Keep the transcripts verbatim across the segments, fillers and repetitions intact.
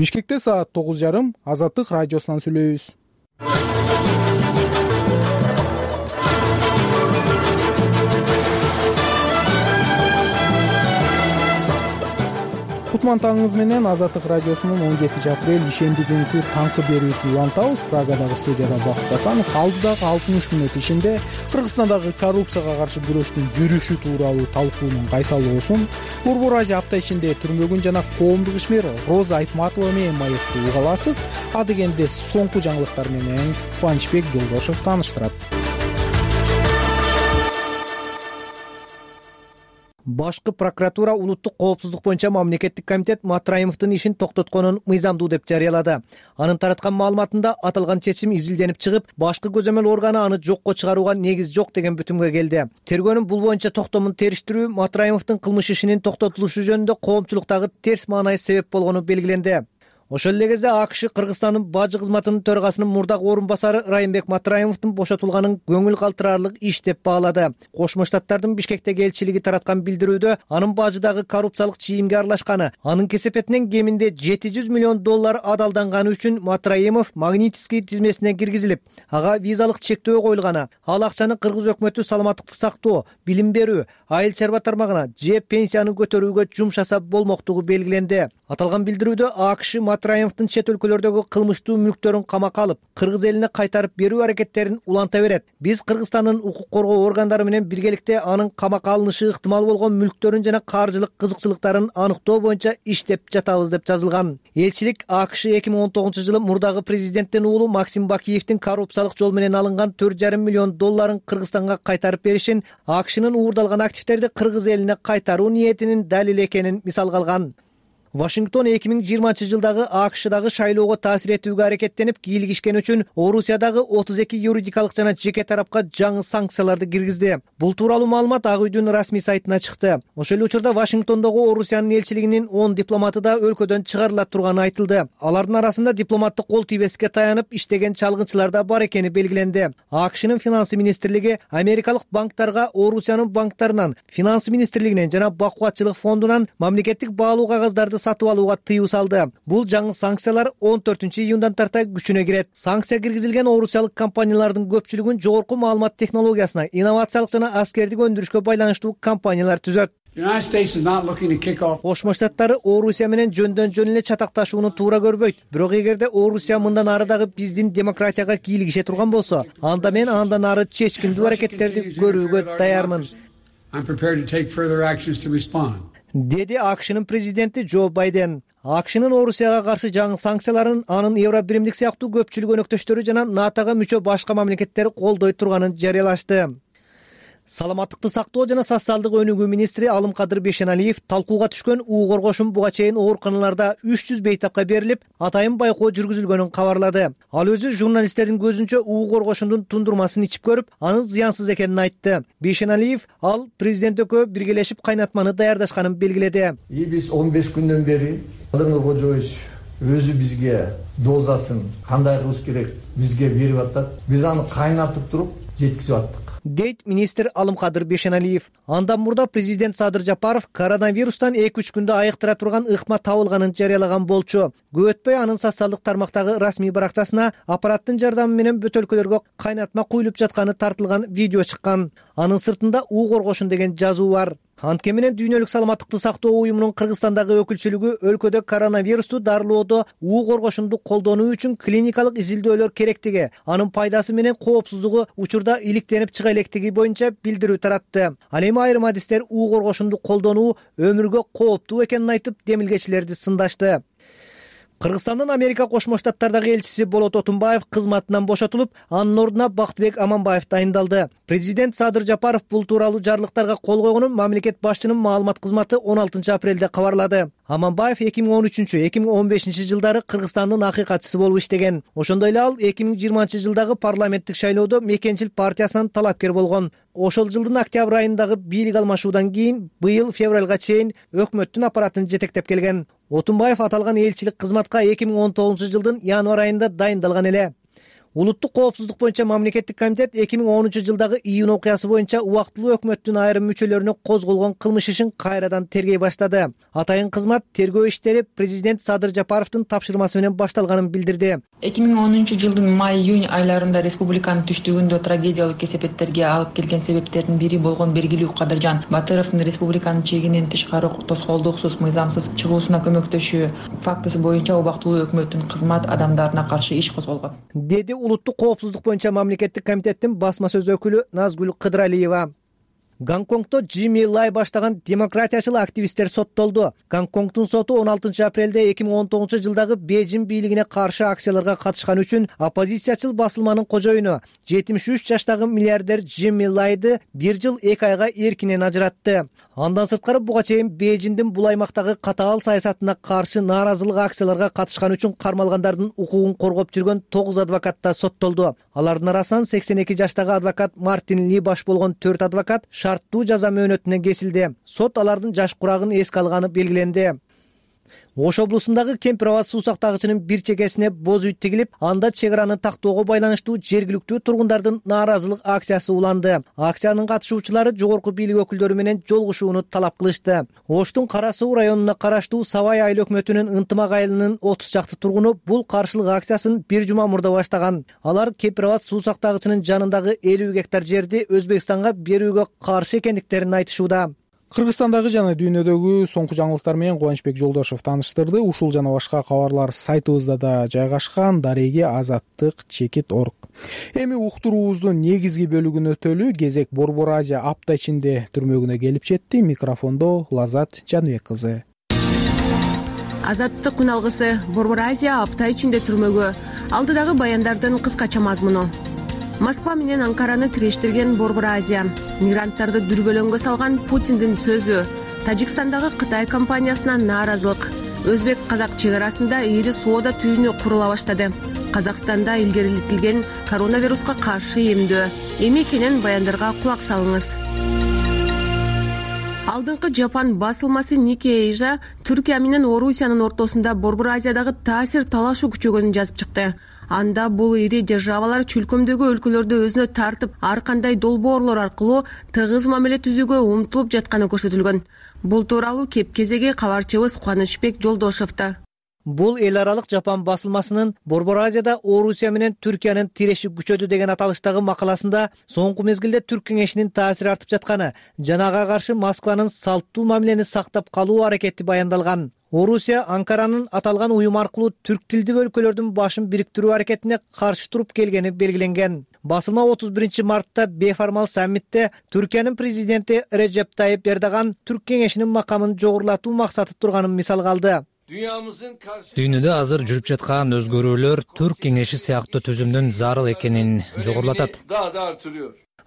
Бишкекте саат тогуз жарым Азаттык радиосунан сүйлөйбүз. Кутман таңыңыз менен Азаттык радиосунун он жетинчи апрель ишемби күнкү таңкы берүүсүн улантабыз. Прагадагы студияда Бакыт Асанов алдыдагы алтымыш мүнөт ичинде Кыргызстандагы коррупцияга каршы күрөштүн жүрүшү тууралуу талкуунун кайталоосун, Борбор Азия апта ичинде түрмөгүн жана коомдук ишмер Роза Айтматова менен маекти уга аласыз. А дегенде соңку жаңылыктар менен Кубанычбек Жолдошев тааныштырат. Башкы прокуратура улуттук коопсуздук боюнча мамлекеттик комитет Матраимовдун ишин токтотконун мыйзамдуу деп жарыялады. Анын тараткан маалыматында аталган чечим изилденип чыгып, башкы көзөмөл органы аны жокко чыгарууга негиз жок деген бүтүмгө келди. Тергөөнүн бул боюнча токтомун териштирүү Матраимовдун кылмыш ишинин токтотулушу жөнүндө коомчулуктагы терс маанай себеп болгону белгиленди. Ошол эле кезде АКШ Кыргызстандын бажы кызматынын төрагасынын мурдагы орун басары Райымбек Матраимовдун бошотулганын көңүл калтырарлык иш деп баалады. Кошмо Штаттардын Бишкектеги элчилиги тараткан билдирүүдө анын бажыдагы коррупциялык чийимге аралашканы, анын кесепетинен кеминде жети жүз миллион доллар адалданганы үчүн Матраимов Магнитский тизмесине киргизилип, ага визалык чектөө коюлганы, ал акчаны кыргыз өкмөтү саламаттыкты сактоо, билим берүү, айыл чарба тармагына же пенсияны көтөрүүгө жумшаса болмоктугу белгиленди. Аталган билдирүүдө АКШ Матраимовдун чет өлкөлөрдөгү кылмыштуу мүлктөрүн камакка алып, кыргыз элине кайтарып берүү аракеттерин уланта берет. Биз Кыргызстандын укук коргоо органдары менен биргеликте анын камакка алынышы ыктымал болгон мүлктөрүн жана каржылык кызыкчылыктарын аныктоо боюнча иштеп жатабыз деп жазылган. Элчилик АКШ эки миң он тогузунчу жылы мурдагы президенттин уулу Максим Бакиевдин коррупциялык жол менен алынган төрт жарым миллион долларын Кыргызстанга кайтарып беришин, АКШнын уурдалган активтерди кыргыз элине кайтаруу ниетинин далили экенин мисалга алган. Вашингтон эки миң жыйырманчы жылдагы АКШдагы шайлоого таасир этүүгө аракеттенип кийлигишкени үчүн Орусиядагы отуз эки юридикалык жана жеке тарапка жаңы санкцияларды киргизди. Бул тууралуу маалымат Ак үйдүн расмий сайтына чыкты. Ошол эле учурда Вашингтондогу Орусиянын элчилигинин он дипломаты да өлкөдөн чыгарыла турганы айтылды. Алардын арасында дипломаттык кол тийбестикке таянып иштеген чалгынчылар да бар экени белгиленди. АКШнын финансы министрлиги америкалык банктарга Орусиянын банктарынан, финансы министрлигинен жана бакубатчылык фондунан мамлекеттик баалуу кагаздарды сатып алууга тыюу салды. Бул жаңы санкциялар он төртүнчү июндан тарта күчүнө кирет. Санкция киргизилген орусиялык компаниялардын көпчүлүгүн жогорку маалымат технологиясына, инновациялык жана аскердик өндүрүшкө байланыштуу компаниялар түзөт. Кошмо Штаттары Орусия менен жөндөн жөн эле чатакташууну туура көрбөйт. Бирок эгерде Орусия мындан ары дагы биздин демократияга кийлигише турган болсо, анда мен андан ары чечкиндүү аракеттерди көрүүгө даярмын, деди АКШнын президенти Джо Байден. АКШнын Орусияга каршы жаңы санкцияларын анын Евробиримдик сыяктуу көпчүлүк өнөктөштөрү жана НАТОга мүчө башка мамлекеттер колдой турганын жарыялашты. Саламаттыкты сактоо жана социалдык өнүгүү министри Алымкадыр Бейшеналиев талкууга түшкөн уу коргошун буга чейин ооруканаларда үч жүз бейтапка берилип, атайын байкоо жүргүзүлгөнүн кабарлады. Ал өзү журналисттердин көзүнчө уу коргошундун тундурмасын ичип көрүп, анын зыянсыз экенин айтты. Бейшеналиев ал президент экөө биргелешип кайнатманы даярдашканын белгиледи. Биз он беш күндөн бери Кадыргы Кожоевич өзү бизге дозасын кандай кылыш керек бизге берип атат. Биз аны кайнатып туруп жеткизип аттык, дейт министр Алымкадыр Бейшеналиев. Андан мурда президент Садыр Жапаров коронавирустан эки үч күндө айыктыра турган ыкма табылганын жарыялаган болчу. Көп өтпөй анын социалдык тармактагы расмий барактасына аппараттын жардамы менен бөтөлкөлөргө кайнатма куюлуп жатканы тартылган видео чыккан. Анын сыртында уу коргошун деген жазуу бар. Антке менен Дүйнөлүк саламаттыкты сактоо уюмунун Кыргызстандагы өкүлчүлүгү өлкөдө коронавирусту дарылоодо уу коргошунду колдонуу үчүн клиникалык изилдөөлөр керектиги, анын пайдасы менен коопсуздугу учурда иликтенип чыга электиги боюнча билдирүү таратты. Ал эми айрым адистер уу коргошунду колдонуу өмүргө кооптуу экенин айтып, демилгечилерди сындашты. Кыргызстандын Америка Кошмо Штаттардагы элчиси Болот Отунбаев кызматынан бошотулуп, анын ордуна Бактыбек Аманбаев дайындалды. Президент Садыр Жапаров бул тууралуу жарлыктарга кол койгонун мамлекет башчынын маалымат кызматы он алтынчы апрелде кабарлады. Аманбаев эки миң он үчүнчү эки миң он бешинчи жылдары Кыргызстандын акыйкатчысы болуп иштеген. Ошондой эле ал эки миң жыйырманчы жылдагы парламенттик шайлоодо Мекенчил партиясынан талапкер болгон. Ошол жылдын октябрь айындагы бийлик алмашуудан кийин быйыл февралга чейин өкмөттүн аппаратын жетектеп келген. Отунбаев аталган элчилик кызматка эки миң он тогузунчу жылдын январь айында дайындалган эле. Улуттук коопсуздук боюнча мамлекеттик комитет эки миң онунчу жылдагы июнь окуясы боюнча убактылуу өкмөттүн айрым мүчөлөрүнө козголгон кылмыш ишин кайрадан тергей баштады. Атайын кызмат тергөө иштери президент Садыр Жапаровдун тапшырмасы менен башталганын билдирди. эки миң онунчу жылдын май-июнь айларында республиканын түштүгүндө трагедиялык кесепеттерге алып келген себептердин бири болгон Бергилүү Кадыржан Батыровдун республиканын чегинен тышкары тоскоолдуксуз мыйзамсыз чыгуусуна көмөктөшүү фактысы боюнча убактылуу өкмөттүн кызмат адамдарына каршы иш козголгон, деди Улуттук коопсуздук боюнча мамлекеттик комитеттин басма сөз өкүлү Назгүл Кыдыралиева. Гонконгдо Джимми Лай баштаган демократиячыл активисттер соттолду. Гонконгдун соту он алтынчы апрелде эки миң он тогузунчу жылдагы Бейжин бийлигине каршы акцияларга катышканы үчүн оппозициячыл басылманын кожоюну жетимиш үч жаштагы миллиардер Джимми Лайды бир жыл эки айга эркинен ажыратты. Андан сырткары буга чейин Бейжиндин бул аймактагы катаал саясатына каршы нааразылык акцияларга катышканы үчүн кармалгандардын укугун коргоп жүргөн тогуз адвокат да соттолду. Алардын арасынан сексен эки жаштагы адвокат Мартин Ли баш болгон төрт адвокат шарттуу жаза мөөнөтүнө кесилди. Сот алардын жаш курагын эске алганы белгиленди. Ош облусундагы Кемпир Абад суу сактагычынын бир чекесине боз үй тигилип, анда чек араны тактоого байланыштуу жергиликтүү тургундардын нааразылык акциясы уланды. Акциянын катышуучулары жогорку бийлик өкүлдөрү менен жолугушууну талап кылышты. Оштун Кара Суу районуна караштуу Сабай айыл өкмөтүнүн Ынтымак айылынын отуз чакты тургуну бул каршылык акциясын бир жума мурда баштаган. Алар Кемпир Абад суу сактагычынын жанындагы элүү гектар жерди Өзбекстанга берүүгө каршы экендиктерин айтышууда. Кыргызстандагы жана дүйнөдөгү соңку жаңылыктар менен Кубанычбек Жолдошов тааныштырды. Ушул жана башка кабарлар сайтыбызда да жайгашкан. Дареги азаттык чекит точка орг. Эми уктуруубуздун негизги бөлүгүнө өтөлү. Кезек Борбор Азия апта ичинде түрмөгүнө келип жетти. Микрофондо Лазат Жаныбек кызы. Азаттык күн алгысы Борбор Азия апта ичинде түрмөгө. Алдыдагы баяндардын кыскача мазмуну. Москва менен Анкараны тирештирген Борбор Азия, мигранттарды дүрбөлөңгө салган Путиндин сөзү, Тажикстандагы Кытай компаниясына нааразылык, Өзбек-казак чек арасында ири соода түйүнү курула баштады. Казакстанда илгерилетилген коронавируска каршы эмдөө. Эми кенен баяндарга кулак салыңыз. Алдыңкы Жапан басылмасы Nikkei Asia Түркия менен Орусиянын ортосунда Борбор Азиядагы таасир талашуу күчөгөнүн жазып чыкты. Анда бул ири державалар чүлкөмдөгү өлкөлөрдү өзүнө тартып, ар кандай долбоорлор аркылуу тыгыз мамиле түзүүгө умтулуп жатканы көрсөтүлгөн. Бул тууралуу кеп кезеги кабарчыбыз Кубанычбек Жолдошовдо. Бул эл аралык Жапан басылмасынын Борбор Азияда Орусия менен Түркиянын тиреши күчөдү деген аталыштагы макаласында соңку мезгилде Түрк кеңешинин таасири артып жатканы жана ага каршы Москванын салттуу мамилени сактап калуу аракети баяндалган. Орусия Анкаранын аталган уюм аркылуу түрк тилдүү өлкөлөрдүн башын бириктирүү аракетине каршы туруп келгени белгиленген. Басылма отуз биринчи мартта бейформал саммитте Түркиянын президенти Реджеп Тайип Эрдоган Түрк кеңешинин макамын жогорулатуу максаты турганын мисалга алды. Дүйнөдө азыр жүрүп жаткан өзгөрүүлөр Түрк кеңеши сыяктуу түзүмдүн зарыл экенин жогорулатат.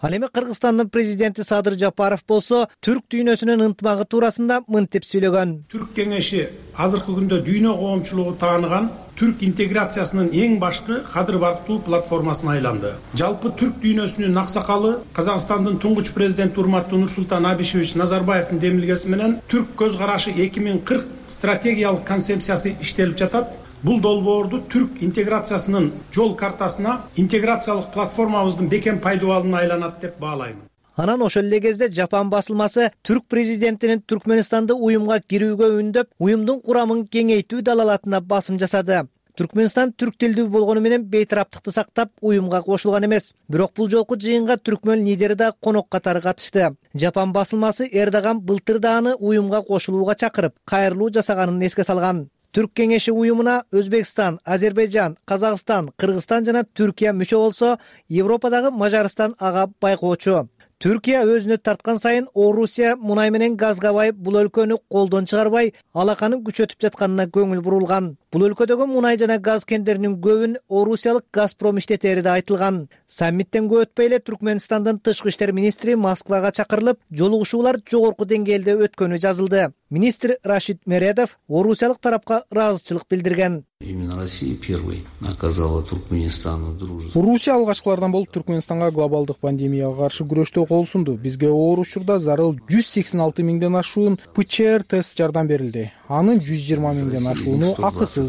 Ал эми Кыргызстандын президенти Садыр Жапаров болсо түрк дүйнөсүнүн ынтымагы туурасында мынтип сүйлөгөн. Түрк кеңеши азыркы күндө дүйнө коомчулугу тааныган түрк интеграциясынын эң башкы кадыр барктуу платформасына айланды. Жалпы түрк дүйнөсүнүн аксакалы Казакстандын туңгуч президенти урматтуу Нурсултан Абишевич Назарбаевдин демилгеси менен түрк көз карашы эки миң кырк стратегиялык концепциясы иштелип жатат. Бул долбоорду түрк интеграциясынын жол картасына интеграциялык платформабыздын бекем пайдубалына айланат деп баалайм. Анан ошол эле кезде Жапан басылмасы түрк президентинин Түркменистанды уюмга кирүүгө үндөп, уюмдун курамын кеңейтүү далалатына басым жасады. Түркменистан түрк тилдүү болгону менен бейтараптыкты сактап уюмга кошулган эмес. Бирок бул жолку жыйынга түркмөн лидери да конок катары катышты. Жапан басылмасы Эрдоган былтыр да аны уюмга кошулууга чакырып, кайрылуу жасаганын эске салган. Түрк кеңеши уюмуна Өзбекстан, Азербайжан, Казакстан, Кыргызстан жана Түркия мүчө болсо, Европадагы Мажарстан ага байкоочу. Түркия өзүнө тарткан сайын Орусия мунай менен газга байып, бул өлкөнү колдон чыгарбай, алаканын күчөтүп жатканына көңүл бурулган. Бул өлкөдөгү мунай жана газ кендеринин көбүн орусиялык Газпром иштетери да айтылган. Саммиттен көп өтпөй эле Түркменстандын тышкы иштер министри Москвага чакырылып, жолугушуулар жогорку деңгээлде өткөнү жазылды. Министр Рашид Мередов орусиялык тарапка ыраазычылык билдирген. Именно Россия первой оказала Туркменистану дружество. Орусия алгачкылардан болуп Түркменистанга глобалдык пандемияга каршы күрөштө кол сунду. Бизге оор учурда зарыл жүз сексен алты миңден ашуун ПЧР тест жардам берилди. Анын жүз жыйырма миңден ашууну акысыз.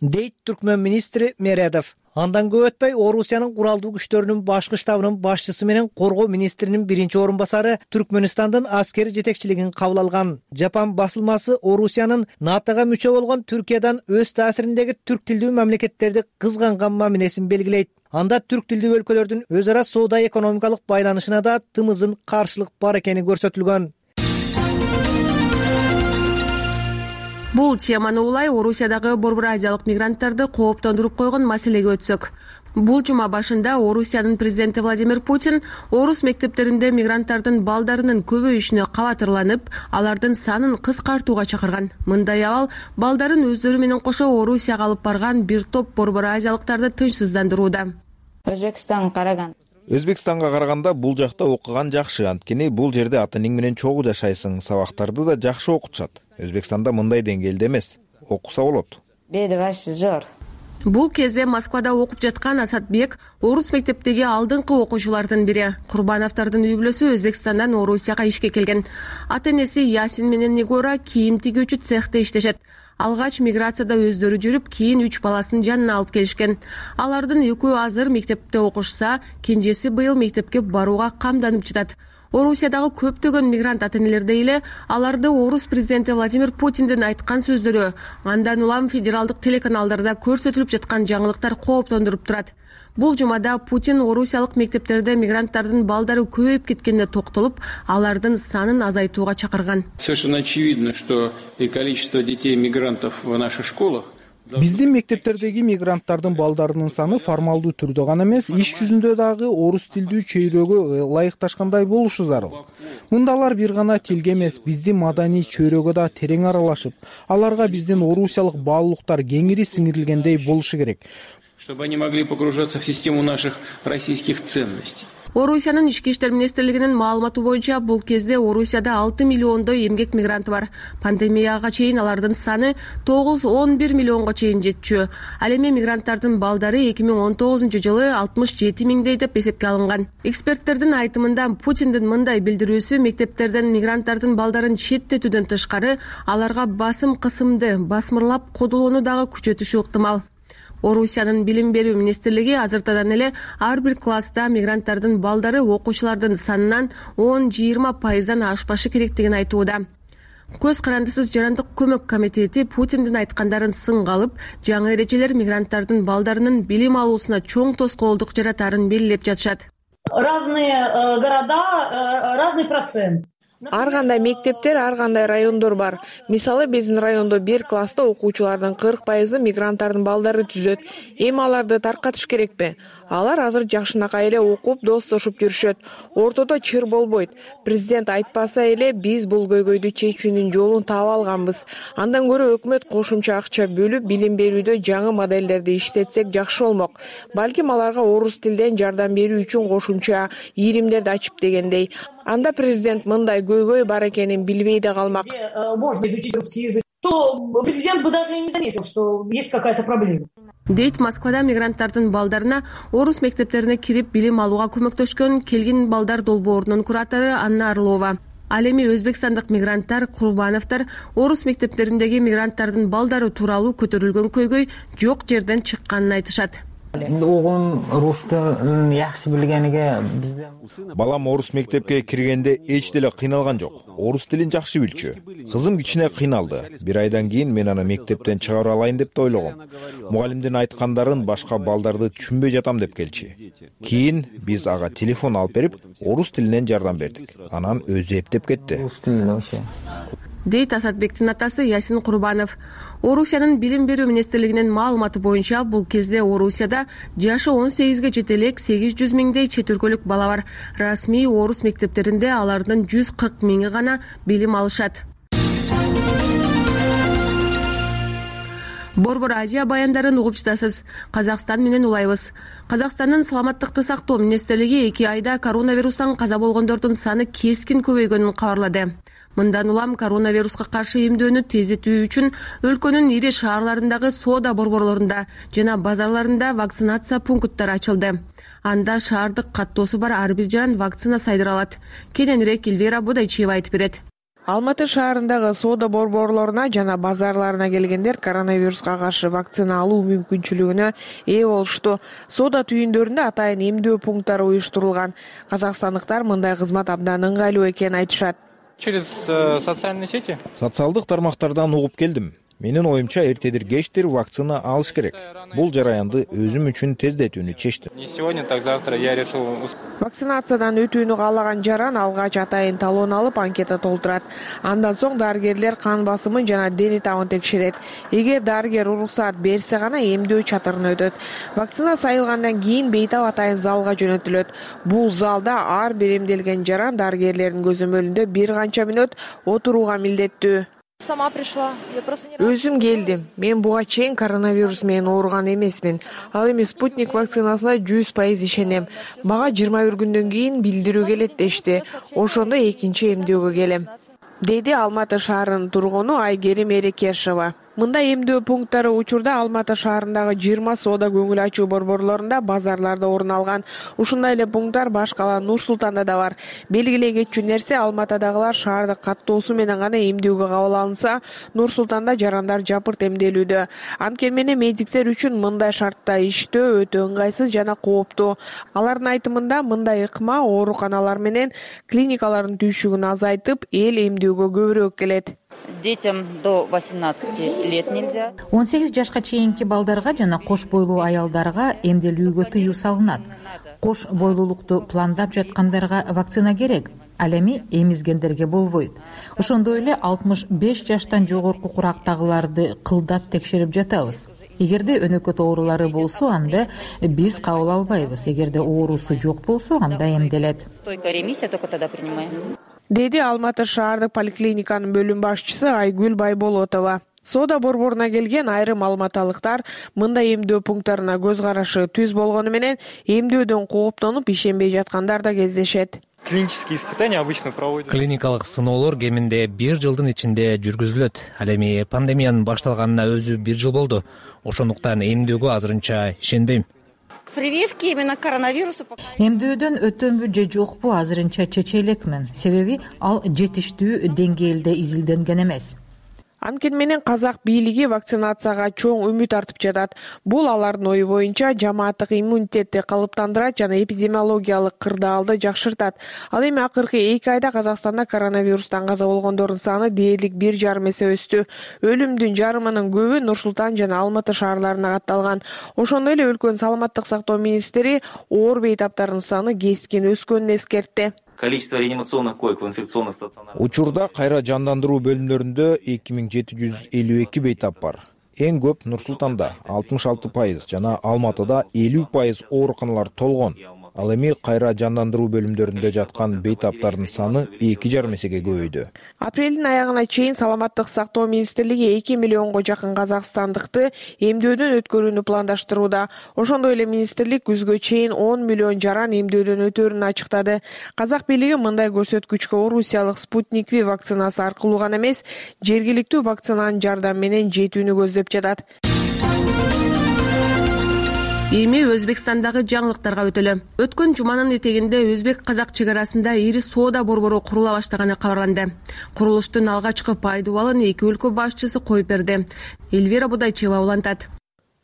дейт түркмөн министри Мередов. Андан көп өтпөй Орусиянын куралдуу күчтөрүнүн башкы штабынын башчысы менен коргоо министринин биринчи орун басары Түркмөнстандын аскери жетекчилигин кабыл алган. Жапан басылмасы Орусиянын натога мүчө болгон Түркиядан өз таасириндеги түрк тилдүү мамлекеттерди кызганган мамилесин белгилейт. Анда түрк тилдүү өлкөлөрдүн өз ара соода экономикалык байланышына да тымызын каршылык бар экени көрсөтүлгөн. Бул теманы улай Орусиядагы Борбор Азиялык мигранттарды кооптондуруп койгон маселеге өтсөк. Бул жума башында Орусиянын президенти Владимир Путин орус мектептеринде мигранттардын балдарынын көбөйүшүнө кабатырланып, алардын санын кыскартууга чакырган. Мындай абал балдарын өздөрү менен кошо Орусияга алып барган бир топ Борбор Азиялыктарды тынчсыздандырууда. Өзбекстанга караган Өзбекстанга караганда бул жакта окуган жакшы, анткени бул жерде ата-энең менен чогуу жашайсың, сабактарды да жакшы окутушат. Өзбекстанда мындай деңгээлде эмес, окуса болот. Бул кезде Москвада окуп жаткан Асатбек орус мектептеги алдыңкы окуучулардын бири. Курбановдордун үй бүлөсү Өзбекстандан Орусияга ишке келген. Ата-энеси Ясин менен Нигора кийим тигүүчү цехте иштешет. Алгач миграцияда өздөрү жүрүп, кийин үч баласын жанына алып келишкен. Алардын экөө азыр мектепте окушса, кенжеси быйыл мектепке барууга камданып жатат. Орусиядагы көптөгөн мигрант ата-энелерде эле аларды орус президенти Владимир Путиндин айткан сөздөрү, андан улам федералдык телеканалдарда көрсөтүлүп жаткан жаңылыктар кооптондуруп турат. Бул жумада Путин орусиялык мектептерде мигранттардын балдары көбөйүп кеткенине токтолуп, алардын санын азайтууга чакырган. Совершенно очевидно, что количество детей-мигрантов в наших школах Биздин мектептердеги мигранттардын балдарынын саны формалдуу түрдө гана эмес, иш жүзүндө дагы орус тилдүү чөйрөгө ылайыкташкандай болушу зарыл. Мында алар бир гана тилге эмес, биздин маданий чөйрөгө да терең аралашып, аларга биздин орусиялык баалуулуктар кеңири сиңирилгендей болушу керек. Чтобы они могли погружаться в систему наших российских ценностей. Орусиянын ички иштер министрлигинин маалыматы боюнча бул кезде Орусияда алты миллиондой эмгек мигранты бар. Пандемияга чейин алардын саны тогуз он бир миллионго чейин жетчү. Ал эми мигранттардын балдары эки миң он тогузунчу жылы алтымыш жети миңдей деп эсепке алынган. Эксперттердин айтымында Путиндин мындай билдирүүсү мектептерден мигранттардын балдарын четтетүүдөн тышкары аларга басым кысымды басмырлап кодулоону дагы күчөтүшү ыктымал. Орусиянын билим берүү министрлиги азыртадан эле ар бир класста мигранттардын балдары окуучулардын санынан он жыйырма пайыздан ашпашы керектигин айтууда. Көз карандысыз жарандык көмөк комитети Путиндин айткандарын сынга алып, жаңы эрежелер мигранттардын балдарынын билим алуусуна чоң тоскоолдук жаратарын белгилеп жатышат. Разные города, разный процент. Ар кандай мектептер, ар кандай райондор бар. Мисалы, биздин райондо бир класста окуучулардын кырк пайызы мигранттардын балдары түзөт. Эми аларды таркатыш керекпи? Алар азыр жакшынакай эле окуп, достошуп жүрүшөт. Ортодо чыр болбойт. Президент айтпаса эле биз бул көйгөйдү чечүүнүн жолун таап алганбыз. Андан көрө өкмөт кошумча акча бөлүп, билим берүүдө жаңы моделдерди иштетсек жакшы болмок. Балким аларга орус тилден жардам берүү үчүн кошумча иримдерди ачып дегендей. Анда президент мындай көйгөй бар экенин билбей да калмак. Можно изучить русский язык. То президент бы даже и не заметил, что есть какая-то проблема. Дейт Москвада мигранттардын балдарына орус мектептерине кирип билим алууга көмөктөшкөн келгин балдар долбоорунун куратору Анна Орлова. Ал эми өзбекстандык мигранттар, Курбановдор орус мектептериндеги мигранттардын балдары тууралуу көтөрүлгөн көйгөй жок жерден чыкканын айтышат. Оğlum rus tilini yaxshi bilganiga bizda Балам орус мектепке киргенде эч деле кыйналган жок. Орус тилин жакшы билчү. Кызым кичине кыйналды. Бир айдан кийин мен аны мектептен чыгара алайын деп да ойлогом. Мугалимдин айткандарын башка балдарды түшүнбөй жатам деп келчи. Кийин биз ага телефон алып берип, орус тилинен жардам бердик. Анан өзү эптеп кетти. Дейт Асатбектин атасы Ясин Курбанов. Орусиянын билим берүү министрлигинин маалыматы боюнча бул кезде Орусияда жашы он сегизге жете элек сегиз жүз миңдей чет өлкөлүк бала бар. Расмий орус мектептеринде алардын жүз кырк миңи гана билим алышат. Борбор Азия баяндарын угуп жатасыз. Казакстан менен улайбыз. Казакстандын саламаттыкты сактоо министрлиги эки айда коронавирустан каза болгондордун саны кескин көбөйгөнүн кабарлады. Мындан улам коронавируска каршы эмдөөнү тездетүү үчүн өлкөнүн ири шаарларындагы соода борборлорунда жана базарларында вакцинация пункттары ачылды. Анда шаардык каттоосу бар ар бир жаран вакцина сайдыра алат. Кененирээк Эльвира Бодайчиева айтып берет. Алматы шаарындагы соода борборлоруна жана базарларына келгендер коронавируска каршы вакцина алуу мүмкүнчүлүгүнө ээ болушту. Соода түйүндөрүндө атайын эмдөө пункттары уюштурулган. Казакстандыктар мындай кызмат абдан ыңгайлуу экенин айтышат. Через социальные сети? Социалдык тармактардан угуп келдим. Менин оюмча эртедир кечтир вакцина алыш керек. Бул жараянды өзүм үчүн тездетүүнү чечтим. Не сегодня, так завтра я решил. Вакцинациядан өтүүнү каалаган жаран алгач атайын талон алып анкета толтурат. Андан соң дарыгерлер кан басымын жана дене табын текшерет. Эгер дарыгер уруксаат берсе гана эмдөө чатырына өтөт. Вакцина сайылгандан кийин бейтап атайын залга жөнөтүлөт. Бул залда ар бир эмделген жаран дарыгерлердин көзөмөлүндө бир канча мүнөт отурууга милдеттүү. Сама пришла. Өзүм келдим. Мен буга чейин коронавирус менен ооруган эмесмин. Ал эми спутник вакцинасына жүз пайыз ишенем. Мага жыйырма бир күндөн кийин билдирүү келет дешти. Ошондо экинчи эмдөөгө келем, деди Алматы шаарынын тургуну Айгерим Эрекешова. Мындай эмдөө пункттары учурда Алматы шаарындагы жыйырма соода көңүл ачуу борборлорунда, базарларда орун алган. Ушундай эле пункттар баш кала Нур Султанда да бар. Белгилей кетчү нерсе, Алматыдагылар шаарды каттоосу менен гана эмдөөгө кабыл алынса, Нур Султанда жарандар жапырт эмделүүдө. Анткени менен медиктер үчүн мындай шартта иштөө өтө ыңгайсыз жана кооптуу. Алардын айтымында мындай ыкма ооруканалар менен клиникалардын түйшүгүн азайтып, эл эмдөөгө көбүрөөк келет. Детям до восемнадцати лет нельзя. он сегиз жашка чейинки балдарга жана кош бойлуу аялдарга эмделүүгө тыюу салынат. Кош бойлуулукту пландап жаткандарга вакцина керек. Ал эми эмизгендерге болбойт. Ошондой эле алтымыш беш жаштан жогорку курактагыларды кылдат текшерип жатабыз. Эгерде өнөкөт оорулары болсо, анда биз кабыл албайбыз. Эгерде оорусу жок болсо, анда эмделет. Стойкая ремиссия только тогда принимаем. Деди Алматы шаардык поликлиниканын бөлүм башчысы Айгүл Байболотова. Соода борборуна келген айрым алматалыктар мындай эмдөө пункттарына көз карашы түз болгону менен эмдөөдөн кооптонуп ишенбей жаткандар да кездешет. Клинические испытания обычно проводят. Клиникалык сыноолор кеминде бир жылдын ичинде жүргүзүлөт. Ал эми пандемиянын башталганына өзү бир жыл болду. Ошондуктан эмдөөгө азырынча ишенбейм. Прививки именно коронавирусу. Эмдөөдөн өтөмбү же жокпу азырынча чече элекмин. Себеби ал жетиштүү деңгээлде изилденген эмес. Анткени менен казак бийлиги вакцинацияга чоң үмүт артып жатат. Бул алардын ою боюнча жамааттык иммунитетти калыптандырат жана эпидемиологиялык кырдаалды жакшыртат. Ал эми акыркы эки айда Казакстанда коронавирустан каза болгондордун саны дээрлик бир жарым эсе өстү. Өлүмдүн жарымынын көбү Нур Султан жана Алматы шаарларына катталган. Ошондой эле өлкөнүн саламаттык сактоо министри оор бейтаптардын саны кескин өскөнүн эскертти. Количество реанимационных коек в инфекционных стационарах. Учурда кайра жандандыруу бөлүмдөрүндө эки миң жети жүз элүү эки бейтап бар. Эң көп Нур Султанда алтымыш алты пайыз жана Алматыда элүү пайыз ооруканалар толгон. Ал эми кайра жандандыруу бөлүмдөрүндө жаткан бейтаптардын саны эки жарым эсеге көбөйдү. Апрелдин аягына чейин саламаттык сактоо министрлиги эки миллионго жакын казакстандыкты эмдөөдөн өткөрүүнү пландаштырууда. Ошондой эле министрлик күзгө чейин он миллион жаран эмдөөдөн өтөрүн ачыктады. Казак бийлиги мындай көрсөткүчкө орусиялык Спутник V вакцинасы аркылуу гана эмес, жергиликтүү вакцинанын жардамы менен жетүүнү көздөп жатат. Эми Өзбекстандагы жаңылыктарга өтөлү. Өткөн жуманын этегинде өзбек-казак чек арасында ири соода борбору курула баштаганы кабарланды. Курулуштун алгачкы пайдубалын эки өлкө башчысы коюп берди. Эльвира Будайчева улантат.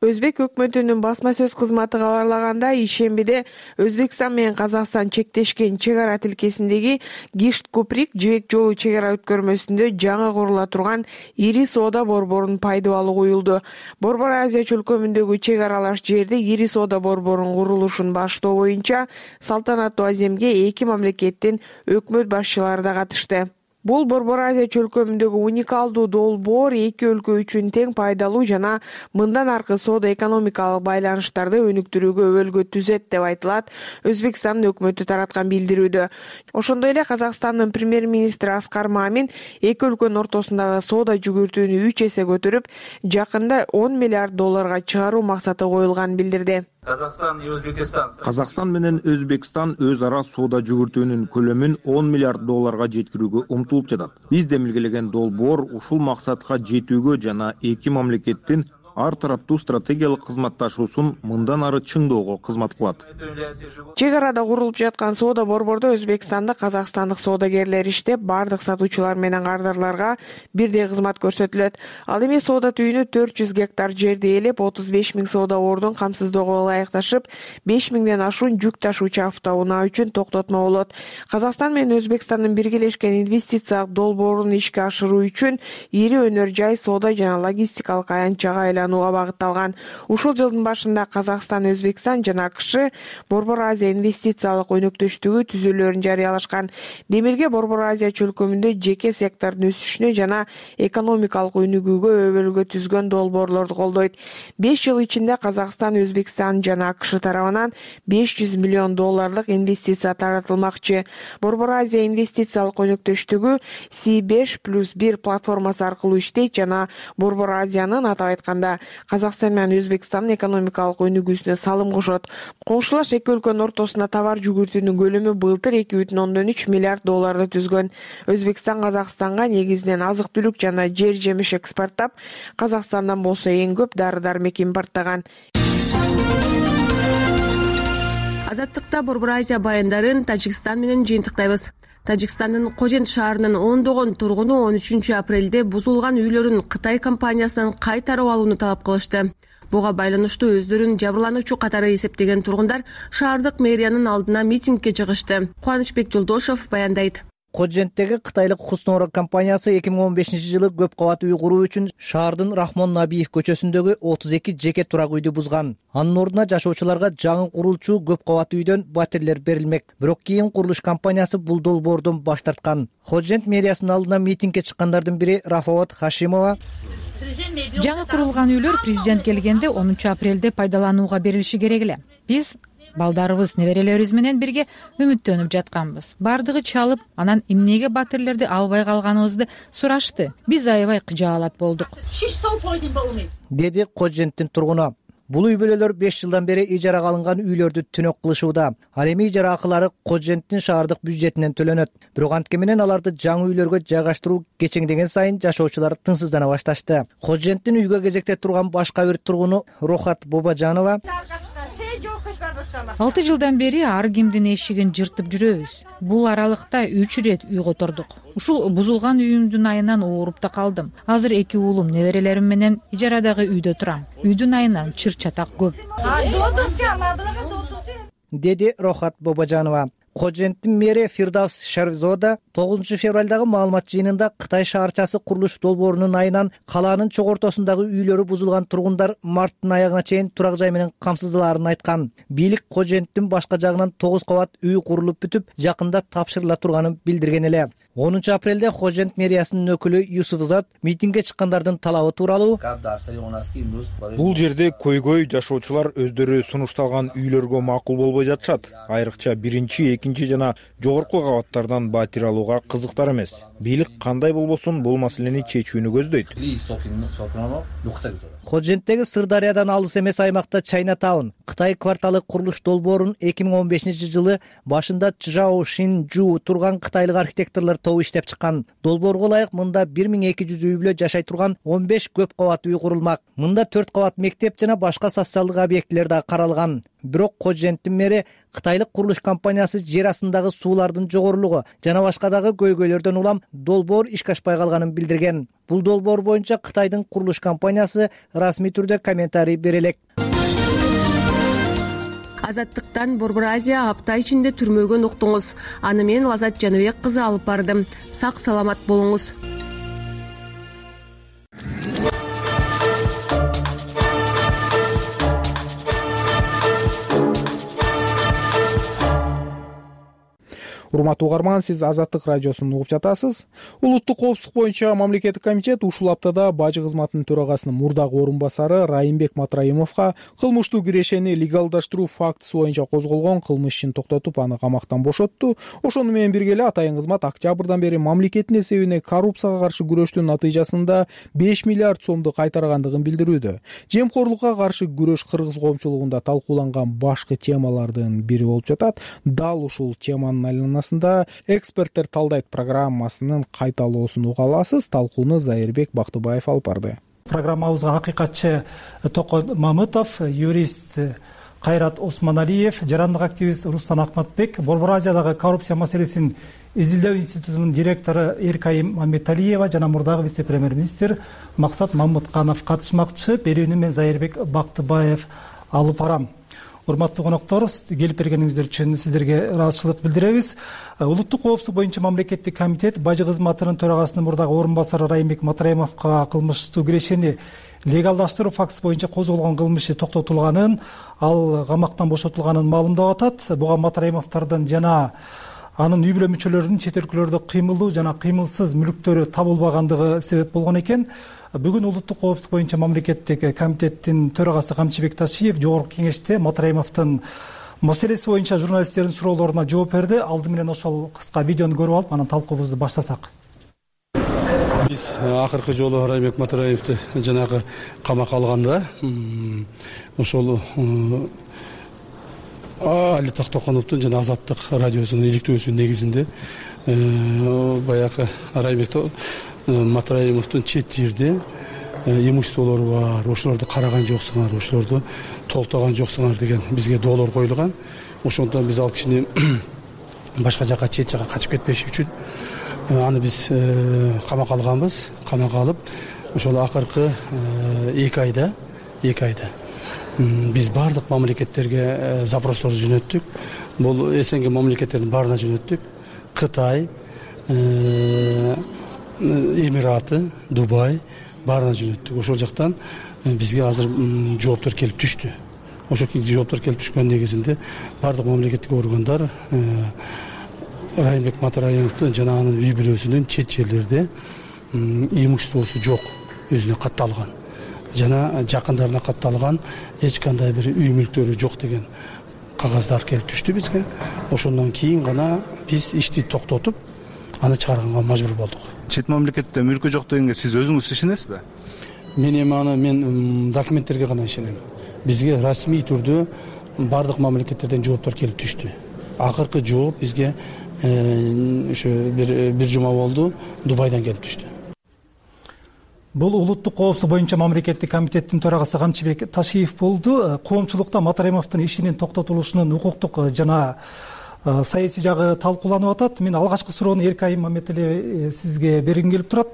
Өзбек өкмөтүнүн басма сөз кызматы кабарлаганда, ишембиде Өзбекстан менен Казакстан чектешкен чек ара тилкесиндеги Гишт-Куприк жибек жолу чек ара өткөрмөсүндө жаңы курула турган ири соода борборунун пайдубалы коюлду. Борбор Азия чөлкөмүндөгү чек аралаш жерде ири соода борборунун курулушун баштоо боюнча салтанаттуу аземге эки мамлекеттин өкмөт башчылары да катышты. Бул Борбор Азия чөлкөмүндөгү уникалдуу долбоор эки өлкө үчүн тең пайдалуу жана мындан аркы соода экономикалык байланыштарды өнүктүрүүгө өбөлгө түзөт деп айтылат Өзбекстандын өкмөтү тараткан билдирүүдө. Ошондой эле Казакстандын премьер-министри Аскар Мамин эки өлкөнүн ортосундагы соода жүгүртүүнү үч эсе көтөрүп, жакында он миллиард долларга чыгаруу максаты коюлганын билдирди. Казакстан менен Өзбекстан өз ара соода жүгүртүүнүн көлөмүн он миллиард долларга жеткирүүгө умтулуп жатат. Биз демилгелеген долбоор ушул максатка жетүүгө жана эки мамлекеттин ар тараптуу стратегиялык кызматташуусун мындан ары чыңдоого кызмат кылат. Чек арада курулуп жаткан соода борбордо Өзбекстанда казакстандык соодагерлер иштеп, бардык сатуучулар менен кардарларга бирдей кызмат көрсөтүлөт. Ал эми соода түйүнү төрт жүз гектар жерди ээлеп, отуз беш миң соода ордун камсыздоого ылайыкташып, беш миңден ашуун жүк ташуучу автоунаа үчүн токтотмо болот. Казакстан менен Өзбекстандын биргелешкен инвестициялык долбоорун ишке ашыруу үчүн ири өнөр жай, соода жана логистикалык аянтчага айланууга багытталган. Ушул жылдын башында Казакстан, Өзбекстан жана АКШ Борбор Азия инвестициялык өнөктөштүгү түзүүлөрүн жарыялашкан. Демирге Борбор Азия чөлкөмүндө жеке сектордун өсүшүнө жана экономикалык өнүгүүгө өбөлгө түзгөн долбоорлорду колдойт. беш жыл ичинде Казакстан, Өзбекстан жана АКШ тарабынан беш жүз миллион долларлык инвестиция таратылмакчы. Борбор Азия инвестициялык өнөктөштүгү Си беш плюс бир платформасы аркылуу иштейт жана Борбор Азиянын, атап айтканда, Казакстан менен Өзбекстандын экономикалык өнүгүүсүнө салым кошот. Коңшулаш эки өлкөнүн ортосунда товар жүгүртүүнүн көлөмү былтыр эки бүтүн ондон үч миллиард долларды түзгөн. Өзбекстан Казакстанга негизинен азык-түлүк жана жер-жемиш экспорттап, Казакстандан болсо эң көп дары-дармек импорттаган. Азаттыкта Борбор Азия баяндарын Тажикстан менен жыйынтыктайбыз. Тажикстандын Кожент шаарынын ондогон тургуну он үчүнчү апрелде бузулган үйлөрүн Кытай компаниясынан кайтарып алууну талап кылышты. Буга байланыштуу өздөрүн жабырлануучу катары эсептеген тургундар шаардык мэриянын алдына митингге чыгышты. Кубанычбек Жолдошов баяндайт. Коженттеги кытайлык Хуснора компаниясы эки миң он бешинчи жылы көп кабат үй куруу үчүн шаардын Рахмон Набиев көчөсүндөгү отуз эки жеке турак үйдү бузган. Анын ордуна жашоочуларга жаңы курулчу көп кабат үйдөн батирлер берилмек. Бирок кийин курулуш компаниясы бул долбоордон баш тарткан. Кожент мэриясынын алдына митингге чыккандардын бири Рафаот Хашимова: жаңы курулган үйлөр президент келгенде онунчу апрелде пайдаланууга берилиши керек эле. Биз балдарыбыз, неберелерибиз менен бирге үмүттөнүп жатканбыз. Бардыгы чалып, анан эмнеге батирлерди албай калганыбызды сурашты. Биз аябай кыжаалат болдук, деди Коженттин тургуну. Бул үй бүлөлөр беш жылдан бери ижарага алынган үйлөрдү түнөк кылышууда. Ал эми ижара акылары Коженттин шаардык бюджетинен төлөнөт. Бирок антке менен аларды жаңы үйлөргө жайгаштыруу кечеңдеген сайын жашоочулар тынчсыздана башташты. Коженттин үйгө кезекте турган башка бир тургуну Рохат Бобажанова: алты жылдан бери ар кимдин эшигин жыртып жүрөбүз. Бул аралыкта үч ирет үй котордук. Ушул бузулган үйүмдүн айынан ооруп да калдым. Азыр эки уулум, неберелерим менен ижарадагы үйдө турам. Үйдүн айынан чыр чатак көп, деди Рохат Бобажанова. Коженттин мэри Фирдавс Шарвзода тогузунчу февралдагы маалымат жыйынында Кытай шаарчасы курулуш долбоорунун айынан калаанын чок ортосундагы үйлөрү бузулган тургундар марттын аягына чейин турак жай менен камсыздалаарын айткан. Бийлик Коженттин башка жагынан тогуз кабат үй курулуп бүтүп, жакында тапшырыла турганын билдирген эле. онунчу апрелде Кожент мэриясынын өкүлү Юсуфзад митингге чыккандардын талабы тууралуу: бул жерде көйгөй жашоочулар өздөрү сунушталган үйлөргө макул болбой жатышат. Айрыкча биринчи, экинчи жана жогорку кабаттардан батир алууга кызыктар эмес. Бийлик кандай болбосун бул маселени чечүүнү көздөйт. Коженттеги Сырдариядан алыс эмес аймакта Чайна Таун Кытай кварталы курулуш долбоорун эки миң он бешинчи жылы башында Чжао Шинжу турган кытайлык архитекторлор тобу иштеп чыккан. Долбоорго ылайык мында бир миң эки жүз үй бүлө жашай турган он беш көп кабат үй курулмак. Мында төрт кабат мектеп жана башка социалдык объектилер да каралган. Бирок Коженттин мэри кытайлык курулуш компаниясы жер астындагы суулардын жогорулугу жана башка дагы көйгөйлөрдөн улам долбоор ишке ашпай калганын билдирген. Бул долбоор боюнча Кытайдын курулуш компаниясы расмий түрдө комментарий бере элек. Азаттыктан Борбор Азия апта ичинде түрмөгөн уктуңуз. Аны мен Лазат Жаныбек кызы алып бардым. Сак саламат болуңуз. Урматтуу угарман, сиз Азаттык радиосун угуп жатасыз. Улуттук коопсуздук боюнча мамлекеттик комитет ушул аптада бажы кызматынын төрагасынын мурдагы орун басары Райымбек Матраимовго кылмыштуу кирешени легалдаштыруу фактысы боюнча козголгон кылмыш ишин токтотуп, аны камактан бошотту. Ошону менен бирге эле атайын кызмат октябрдан бери мамлекеттин эсебине коррупцияга каршы күрөштүн натыйжасында беш миллиард сомду кайтаргандыгын билдирүүдө. Жемкорлукка каршы күрөш кыргыз коомчулугунда талкууланган башкы темалардын бири болуп жатат. Дал ушул теманын айланасында эксперттер талдайт программасынын кайталоосун уга аласыз. Талкууну Зайырбек Бактыбаев алып барды. программабызга акыйкатчы Токон Мамытов, юрист Кайрат Осмоналиев, жарандык активист Рустан Акматбек, Борбор Азиядагы коррупция маселесин изилдөө институтунун директору Эркайым Мамметалиева жана мурдагы вице-премьер-министр Максат Мамытканов катышмакчы. Берүүнү мен Зайырбек Бактыбаев алып барам. Урматтуу коноктор, келип бергениңиздер үчүн сиздерге ыраазычылык билдиребиз. Улуттук коопсуздук боюнча мамлекеттик комитет бажы кызматынын төрагасынын мурдагы орун басары Райымбек Матраимовго кылмыштуу кирешени легалдаштыруу фактысы боюнча козголгон кылмышы токтотулганын, ал камактан бошотулганын маалымдап атат. Буга Матраимовдордун жана анын үй бүлө мүчөлөрүнүн чет өлкөлөрдө кыймылдуу жана кыймылсыз мүлктөрү табылбагандыгы себеп болгон экен. Бүгүн улуттук коопсуздук боюнча мамлекеттик комитеттин төрагасы Камчыбек Ташиев жогорку кеңеште Матраимовдун маселеси боюнча журналисттердин суроолоруна жооп берди. Алды менен ошол кыска видеону көрүп алып, анан талкуубузду баштасак. Биз акыркы жолу Райымбек Матраимовду жанагы камакка алганда ошол Али Токтоконовдун жана Азаттык радиосунун иликтөөсүнүн негизинде баягы Райымбек Матраимовдун чет жерде имуществолору бар, ошолорду караган жоксуңар, ошолорду толтогон жоксуңар деген бизге доолор коюлган. Ошондон биз ал кишини башка жака, чет жака качып кетпеш үчүн аны биз камакка алганбыз. Камакка алып, ошол акыркы эки айда, эки айда биз бардык мамлекеттерге запросторду жөнөттүк. Бул СНГ мамлекеттердин баарына жөнөттүк. Кытай, Эмираты, Дубай баарына жөнөттүк. Ошол жактан бизге азыр жооптор келип түштү. Ошол жооптор келип түшкөн негизинде бардык мамлекеттик органдар Райымбек Матраимовдун жана анын үй бүлөсүнүн чет жерлерде имуществосу жок, өзүнө катталган жана жакындарына катталган эч кандай бир үй мүлктөрү жок деген кагаздар келип түштү бизге. Ошондон кийин гана биз ишти токтотуп, аны чыгарганга мажбур болдук. Чет мамлекетте мүлкү жок дегенге сиз өзүңүз ишенесизби? Мен эми аны мен документтерге гана ишенем. Бизге расмий түрдө бардык мамлекеттерден жооптор келип түштү. Акыркы жооп бизге ошо бир бир жума болду, Дубайдан келип түштү. Бул улуттук коопсуздук боюнча мамлекеттик комитеттин төрагасы Камчыбек Ташиев болду. Коомчулукта Матраимовдун ишинин токтотулушунун укуктук жана саясий жагы талкууланып атат. Мен алгачкы суроону Эркайым Мамметалиев сизге бергим келип турат.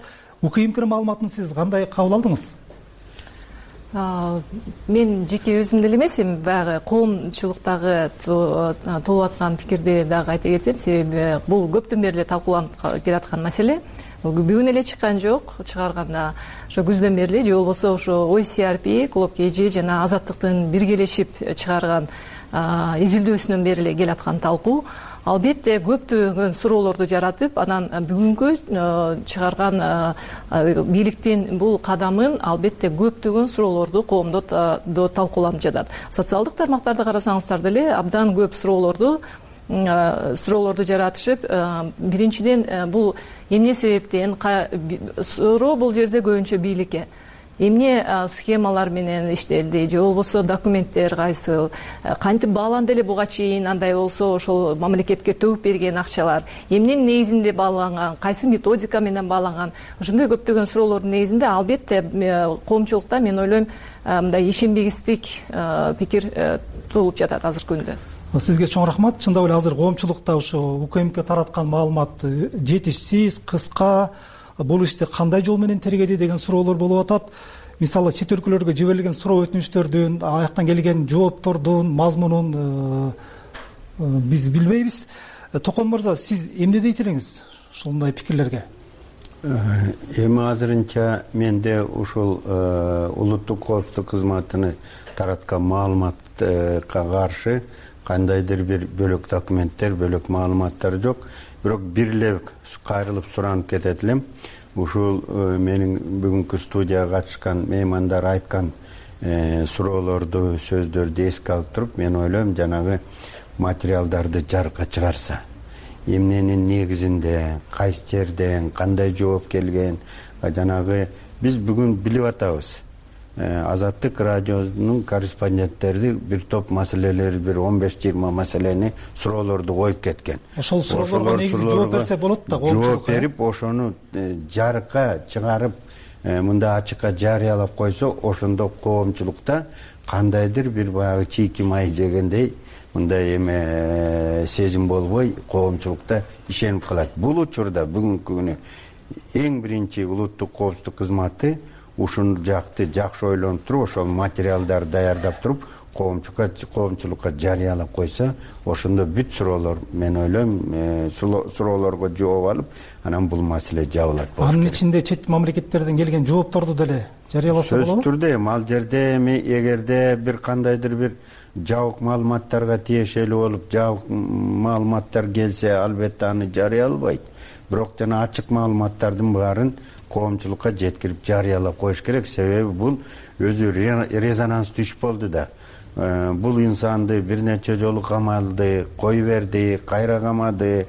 УКМКнын маалыматын сиз кандай кабыл алдыңыз? Мен жеке өзүм деле эмес, эми баягы коомчулуктагы толуп аткан пикирди дагы айта кетсем, себеби бул көптөн бери эле талкууланып келаткан маселе. Бүгүн эле чыккан жок, чыгарганда ошо күздөн бери эле же болбосо ошо Ой Си Ар Пи, Клуб Кежи жана Азаттыктын биргелешип чыгарган изилдөөсүнөн бери эле келаткан талкуу. Албетте көптөгөн суроолорду жаратып, анан бүгүнкү чыгарган бийликтин бул кадамын албетте көптөгөн суроолорду коомдо талкууланып жатат. Социалдык тармактарды карасаңыздар деле абдан көп суроолорду суроолорду жаратышып, биринчиден бул эмне себептен суроо бул жерде көбүнчө бийликке эмне схемалар менен иштелди же болбосо документтер кайсыл, кантип бааланды эле буга чейин, андай болсо ошол мамлекетке төгүп берген акчалар эмненин негизинде бааланган, кайсы методика менен бааланган, ошондой көптөгөн суроолордун негизинде албетте коомчулукта мен ойлойм мындай ишенбегистик пикир туулуп жатат азыркы күндө. Сизге чоң рахмат. Чындап эле азыр коомчулукта ошо УКМК тараткан маалымат жетишсиз, кыска, бул ишти кандай жол менен тергеди деген суроолор болуп атат. Мисалы чет өлкөлөргө жиберилген суроо өтүнүчтөрдүн, аяктан келген жооптордун мазмунун биз билбейбиз. Токон мырза, сиз эмне дейт элеңиз ушундай пикирлерге? Эми азырынча менде ушул улуттук коопсуздук кызматыны тараткан маалыматка каршы кандайдыр бир бөлөк документтер, бөлөк маалыматтар жок. Бирок бир эле кайрылып суранып кетет элем. Ушул менин бүгүнкү студияга катышкан меймандар айткан суроолорду, сөздөрдү эске алып туруп, мен ойлойм жанагы материалдарды жарыкка чыгарса, эмненин негизинде, кайсы жерден, кандай жооп келген, жанагы биз бүгүн билип атабыз. Азаттык радионун корреспонденттери бир топ маселелер, бир он беш жыйырма маселени, суроолорду коюп кеткен. Ошол суроолорго негизи жооп берсе болот да, коомчулукка. Жооп берип, ошону жарыкка чыгарып, мындай ачыкка жарыялап койсо, ошондо коомчулукта кандайдыр бир баягы чийки май жегендей мындай эме сезим болбой, коомчулукта ишенип калат. Бул учурда бүгүнкү күнү эң биринчи улуттук коопсуздук кызматы ушул жакты жакшы ойлонуп туруп, ошол материалдарды даярдап туруп, коомчулукка коомчулукка жарыялап койсо, ошондо бүт суроолор, мен ойлойм, суроолорго жооп алып, анан бул маселе жабылат болуш керек. Анын ичинде чет мамлекеттерден келген жоопторду деле жарыяласа болобу? Сөзсүз түрдө эми ал жерде эми эгерде бир кандайдыр бир жабык маалыматтарга тиешелүү болуп, жабык маалыматтар келсе, албетте аны жарыялабайт. Бирок жана ачык маалыматтардын баарын коомчулукка жеткирип жарыялап коюш керек. Себеби бул өзү резонанс түшүп болду да. Бул инсанды бир нече жолу камалды, кой берди, кайра камады,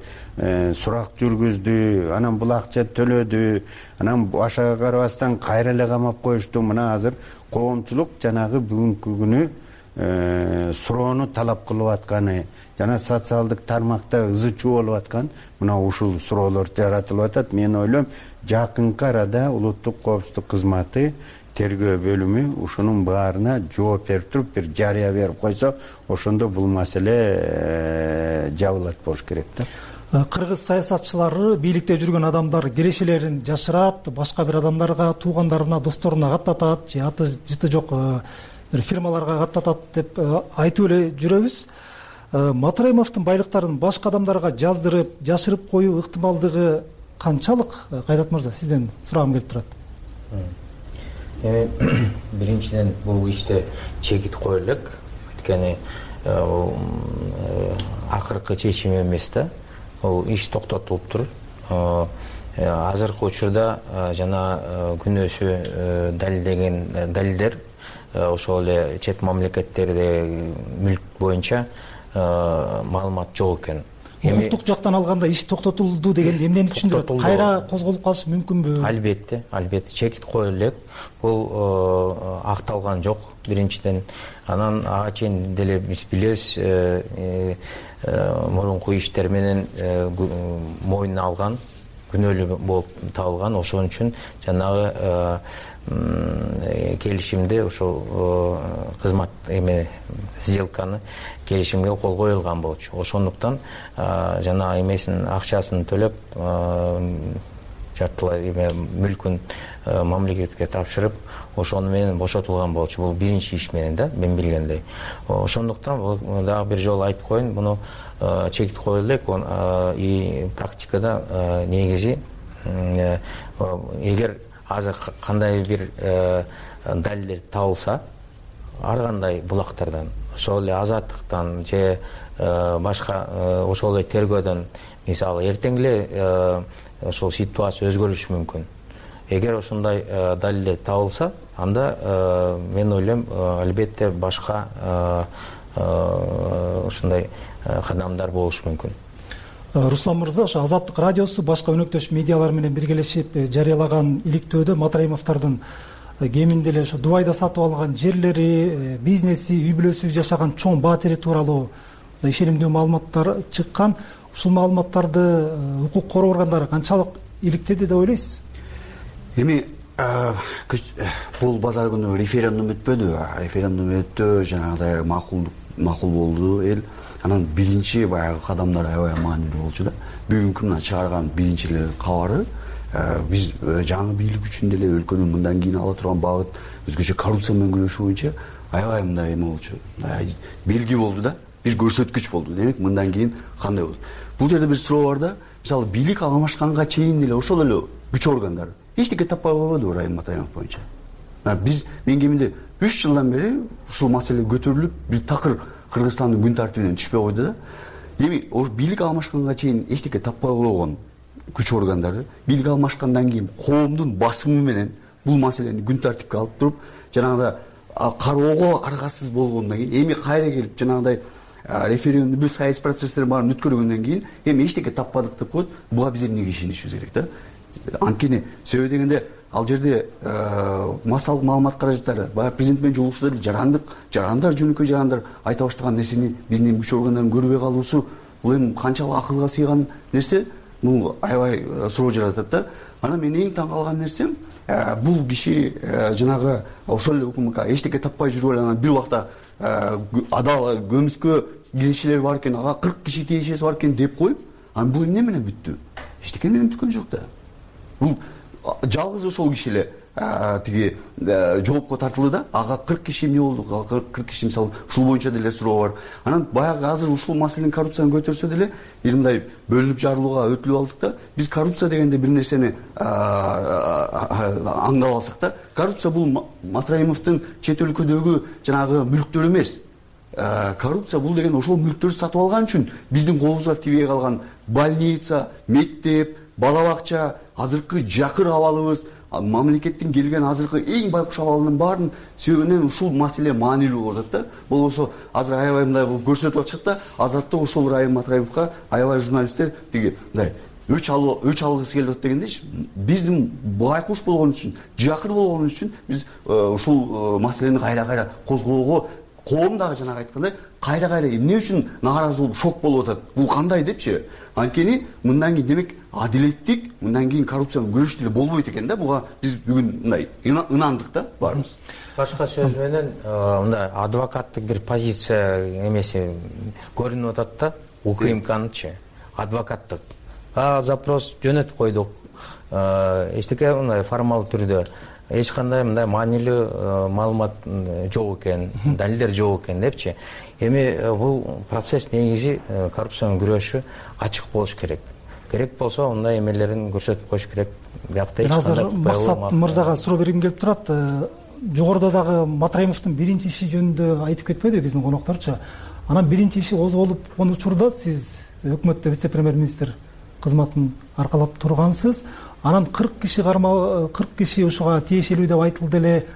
сурак жүргүздү, анан бул акча төлөдү, анан башага карабастан кайра эле камап коюшту. Мына азыр коомчулук жанагы бүгүнкү күнү суроону талап кылып атканы жана социалдык тармакта ызы чуу болуп аткан мына ушул суроолор жаратылып атат. Мен ойлойм, жакынкы арада улуттук коопсуздук кызматы тергөө бөлүмү ушунун баарына жооп берип туруп, бир жарыя берип койсо, ошондо бул маселе жабылат болуш керек да. Кыргыз саясатчылары бийликте жүргөн адамдар кирешелерин жашырат, башка бир адамдарга, туугандарына, досторуна каттатат же аты жыты жок фирмаларга каттатат деп айтып эле жүрөбүз. Матраимовдун байлыктарын башка адамдарга жаздырып, жашырып коюу ыктымалдыгы канчалык? Кайрат мырза, сизден сурагым келип турат. Эми биринчиден бул иште чекит коюу элек, анткени акыркы чечим эмес да. Бул иш токтотулуптур. Азыркы учурда жана күнөөсү далилдеген далилдер ошол эле чет мамлекеттерде мүлк боюнча маалымат жок экен. Укуктук жактан алганда иш токтотулду деген эмнени түшүндүрөт? Кайра козголуп калышы мүмкүнбү? Албетте, албетте чекит коюу элек. Бул акталган жок биринчиден. Анан ага чейин деле биз билебиз, мурунку иштер менен мойнуна алган, күнөөлүү болуп табылган. Ошон үчүн жанагы келишимде ошол кызмат эме сделканы келишимге кол коюлган болчу. Ошондуктан жана эмесин акчасын төлөп жартылай эме мүлкүн мамлекетке тапшырып, ошону менен бошотулган болчу. Бул биринчи иш менен да, мен билгендей. Ошондуктан дагы бир жолу айтып коеюн, муну чекит коюу элек. И практикада негизи эгер азыр кандай бир далилдер табылса, ар кандай булактардан, ошол эле Азаттыктан же башка ошол эле тергөөдөн, мисалы эртең эле ошол ситуация өзгөрүшү мүмкүн. Эгер ошондой далилдер табылса, анда мен ойлойм, албетте башка ошондой кадамдар болушу мүмкүн. Руслан мырза, ошо Азаттык радиосу башка өнөктөш медиалар менен биргелешип жарыялаган иликтөөдө Матраимовдордун кеминде эле ошо Дубайда сатып алган жерлери, бизнеси, үй бүлөсү жашаган чоң баатири тууралуу ишенимдүү маалыматтар чыккан. Ушул маалыматтарды укук короо органдары канчалык иликтеди деп ойлойсуз? Эми бул базар күнү референдум өтпөдү. Референдум өттү, жанагыдай макул макул болду эл. Анан биринчи баягы кадамдар аябай маанилүү болчу да. Бүгүнкү мына чыгарган биринчи эле кабары биз жаңы бийлик үчүн деле өлкөнүн мындан кийин ала турган багыт, өзгөчө коррупция менен күрөшүү боюнча аябай мындай эме болчу. Белги болду да, бир көрсөткүч болду. Демек, мындан кийин кандай болот? Бул жерде бир суроо бар да, мисалы бийлик алмашканга чейин деле ошол эле күч органдары эчтеке таппай койбоду Райым Матраимов боюнча. Биз мен кеминде үч жылдан бери ушул маселе көтөрүлүп, бир такыр Кыргызстандын күн тартибинен түшпөй койду да. Эми бийлик алмашканга чейин эчтеке таппай койгон күч органдары бийлик алмашкандан кийин коомдун басымы менен бул маселени күн тартипке алып туруп, жанагыда кароого аргасыз болгондон кийин, эми кайра келип жанагыдай референдум, бүт саясий процесстерин баарын өткөргөндөн кийин эми эчтеке таппадык деп коет. Буга биз эмнеге ишенишибиз керек да? Анткени себеби дегенде ал жерде массалык маалымат каражаттары, баягы президент менен жолугушуулар жарандык, жарандар жөнөкөй жарандар айта баштаган нерсени биздин күч органдарын көрбөй калуусу, бул эми канчалык акылга сыйган нерсе, бул аябай суроо жаратат да. Анан мен эң таң калган нерсем, бул киши жанагы ошол эле укмк эчтеке таппай жүрүп эле анан бир убакта адал көмүскө киришилер бар экен, ага кырк киши тиешеси бар экен деп коюп, анан бул эмне менен бүттү? Эчтеке менен бүткөн жок да. Бул жалгыз ошол киши эле тиги жоопко тартылды да, ага кырк киши эмне болду? кырк киши мисалы ушул боюнча деле суроо бар. Анан баягы азыр ушул маселени коррупцияны көтөрсө деле эл мындай бөлүнүп жарылууга өтүлүп алдык да. Биз коррупция дегенде бир нерсени аңдап алсак да, коррупция бул Матраимовдун чет өлкөдөгү жанагы мүлктөр эмес. Коррупция бул деген ошол мүлктөрдү сатып алган үчүн биздин колубузга тибей калган больница, мектеп, бала бакча, азыркы жакыр абалыбыз, мамлекеттин келген азыркы эң байкуш абалынын баарын себебинен ушул маселе маанилүү болуп атат да. Болбосо азыр аябай мындай көрсөтүп атышат да, Азаттык ошол Райым Матраимовго аябай журналисттер тиги мындай өч алуу өч алгысы келип атат дегендейчи. Биздин байкуш болгон үчүн, жакыр болгон үчүн биз ушул маселени кайра-кайра козгоого, коом дагы жанагы айткандай кайра-кайра эмне үчүн нааразы болуп шок болуп атат? Бул кандай депчи? Анткени мындан кийин демек адилеттик, мындан кийин коррупцияны көрүш деле болбойт экен да. Буга биз бүгүн мындай ынандык да баарыбыз. Башка сөз менен мындай адвокаттык бир позиция эмеси көрүнүп атат да. УКМКнычы адвокаттык. А запрос жөнөтүп койдук. Эчтеке мындай формал түрдө эч кандай мындай маанилүү маалымат жок экен, далилдер жок экен депчи. Эми бул процесс негизи коррупцияны күрөшү ачык болуш керек. Керек болсо мындай эмелерин көрсөтүп коюш керек. Биякта эч кандай Максат мырзага суроо бергим келип турат. Жогоруда дагы Матраимовдун биринчи иши жөнүндө айтып кетпеди биздин конокторчу. Анан биринчи иши козголуп он учурда сиз өкмөттө вице-премьер-министр кызматын аркалап тургансыз. Анан кырк киши кармал кырк киши ушуга тиешелүү деп айтылды эле.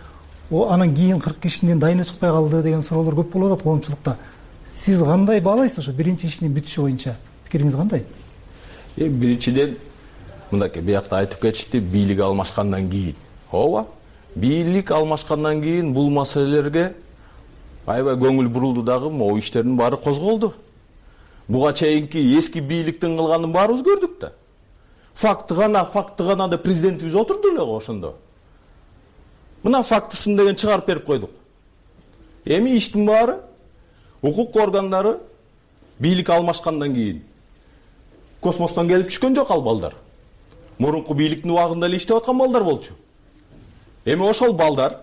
Анан кийин кырк кишинин дайыны чыкпай калды деген суроолор көп болуп атат коомчулукта. Сиз кандай баалайсыз ошо биринчи ишинин бүтүшү боюнча? Пикириңиз кандай? Э биринчиден мындайке биякта айтып кетишти, бийлик алмашкандан кийин. Ооба. Бийлик алмашкандан кийин бул маселелерге аябай көңүл бурулду дагы, могу иштердин баары козголду. Буга чейинки эски бийликтин кылганын баарыбыз көрдүк да. Факты гана, факты гана да президентибиз отурду эле ошондо. Мына фактысын деген чыгарып берип койдук. Эми иштин баары укук органдары бийлик алмашкандан кийин космостон келип түшкөн жок ал балдар. Мурунку бийликтин убагында эле иштеп аткан балдар болчу. Эми ошол балдар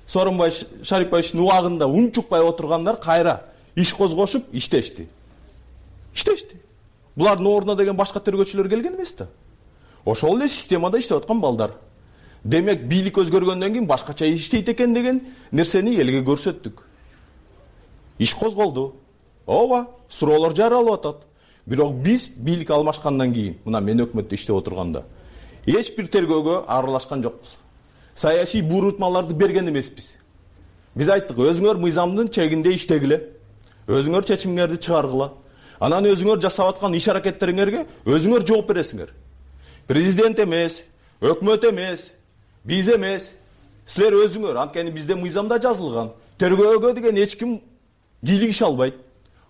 Сооронбай Шарипбаевичтин убагында унчукпай отургандар кайра иш козгошуп иштешти. Иштешти. Булардын ордуна деген башка тергөөчүлөр келген эмес да. Ошол эле системада иштеп аткан балдар. Демек бийлик өзгөргөндөн кийин башкача иштейт экен деген нерсени элге көрсөттүк. Иш козголду. Ооба, суроолор жаралып атат. Бирок биз бийлик алмашкандан кийин, мына мен өкмөттө иштеп отурганда, эч бир тергөөгө аралашкан жокпуз. Саясий буйрутмаларды берген эмеспиз. Биз айттык, өзүңөр мыйзамдын чегинде иштегиле, өзүңөр чечимиңерди чыгаргыла. Анан өзүңөр жасап аткан иш аракеттериңерге өзүңөр жооп бересиңер. Президент эмес, өкмөт эмес, биз эмес, силер өзүңөр. Анткени бизде мыйзамда жазылган. Тергөөгө деген эч ким кийлигише албайт,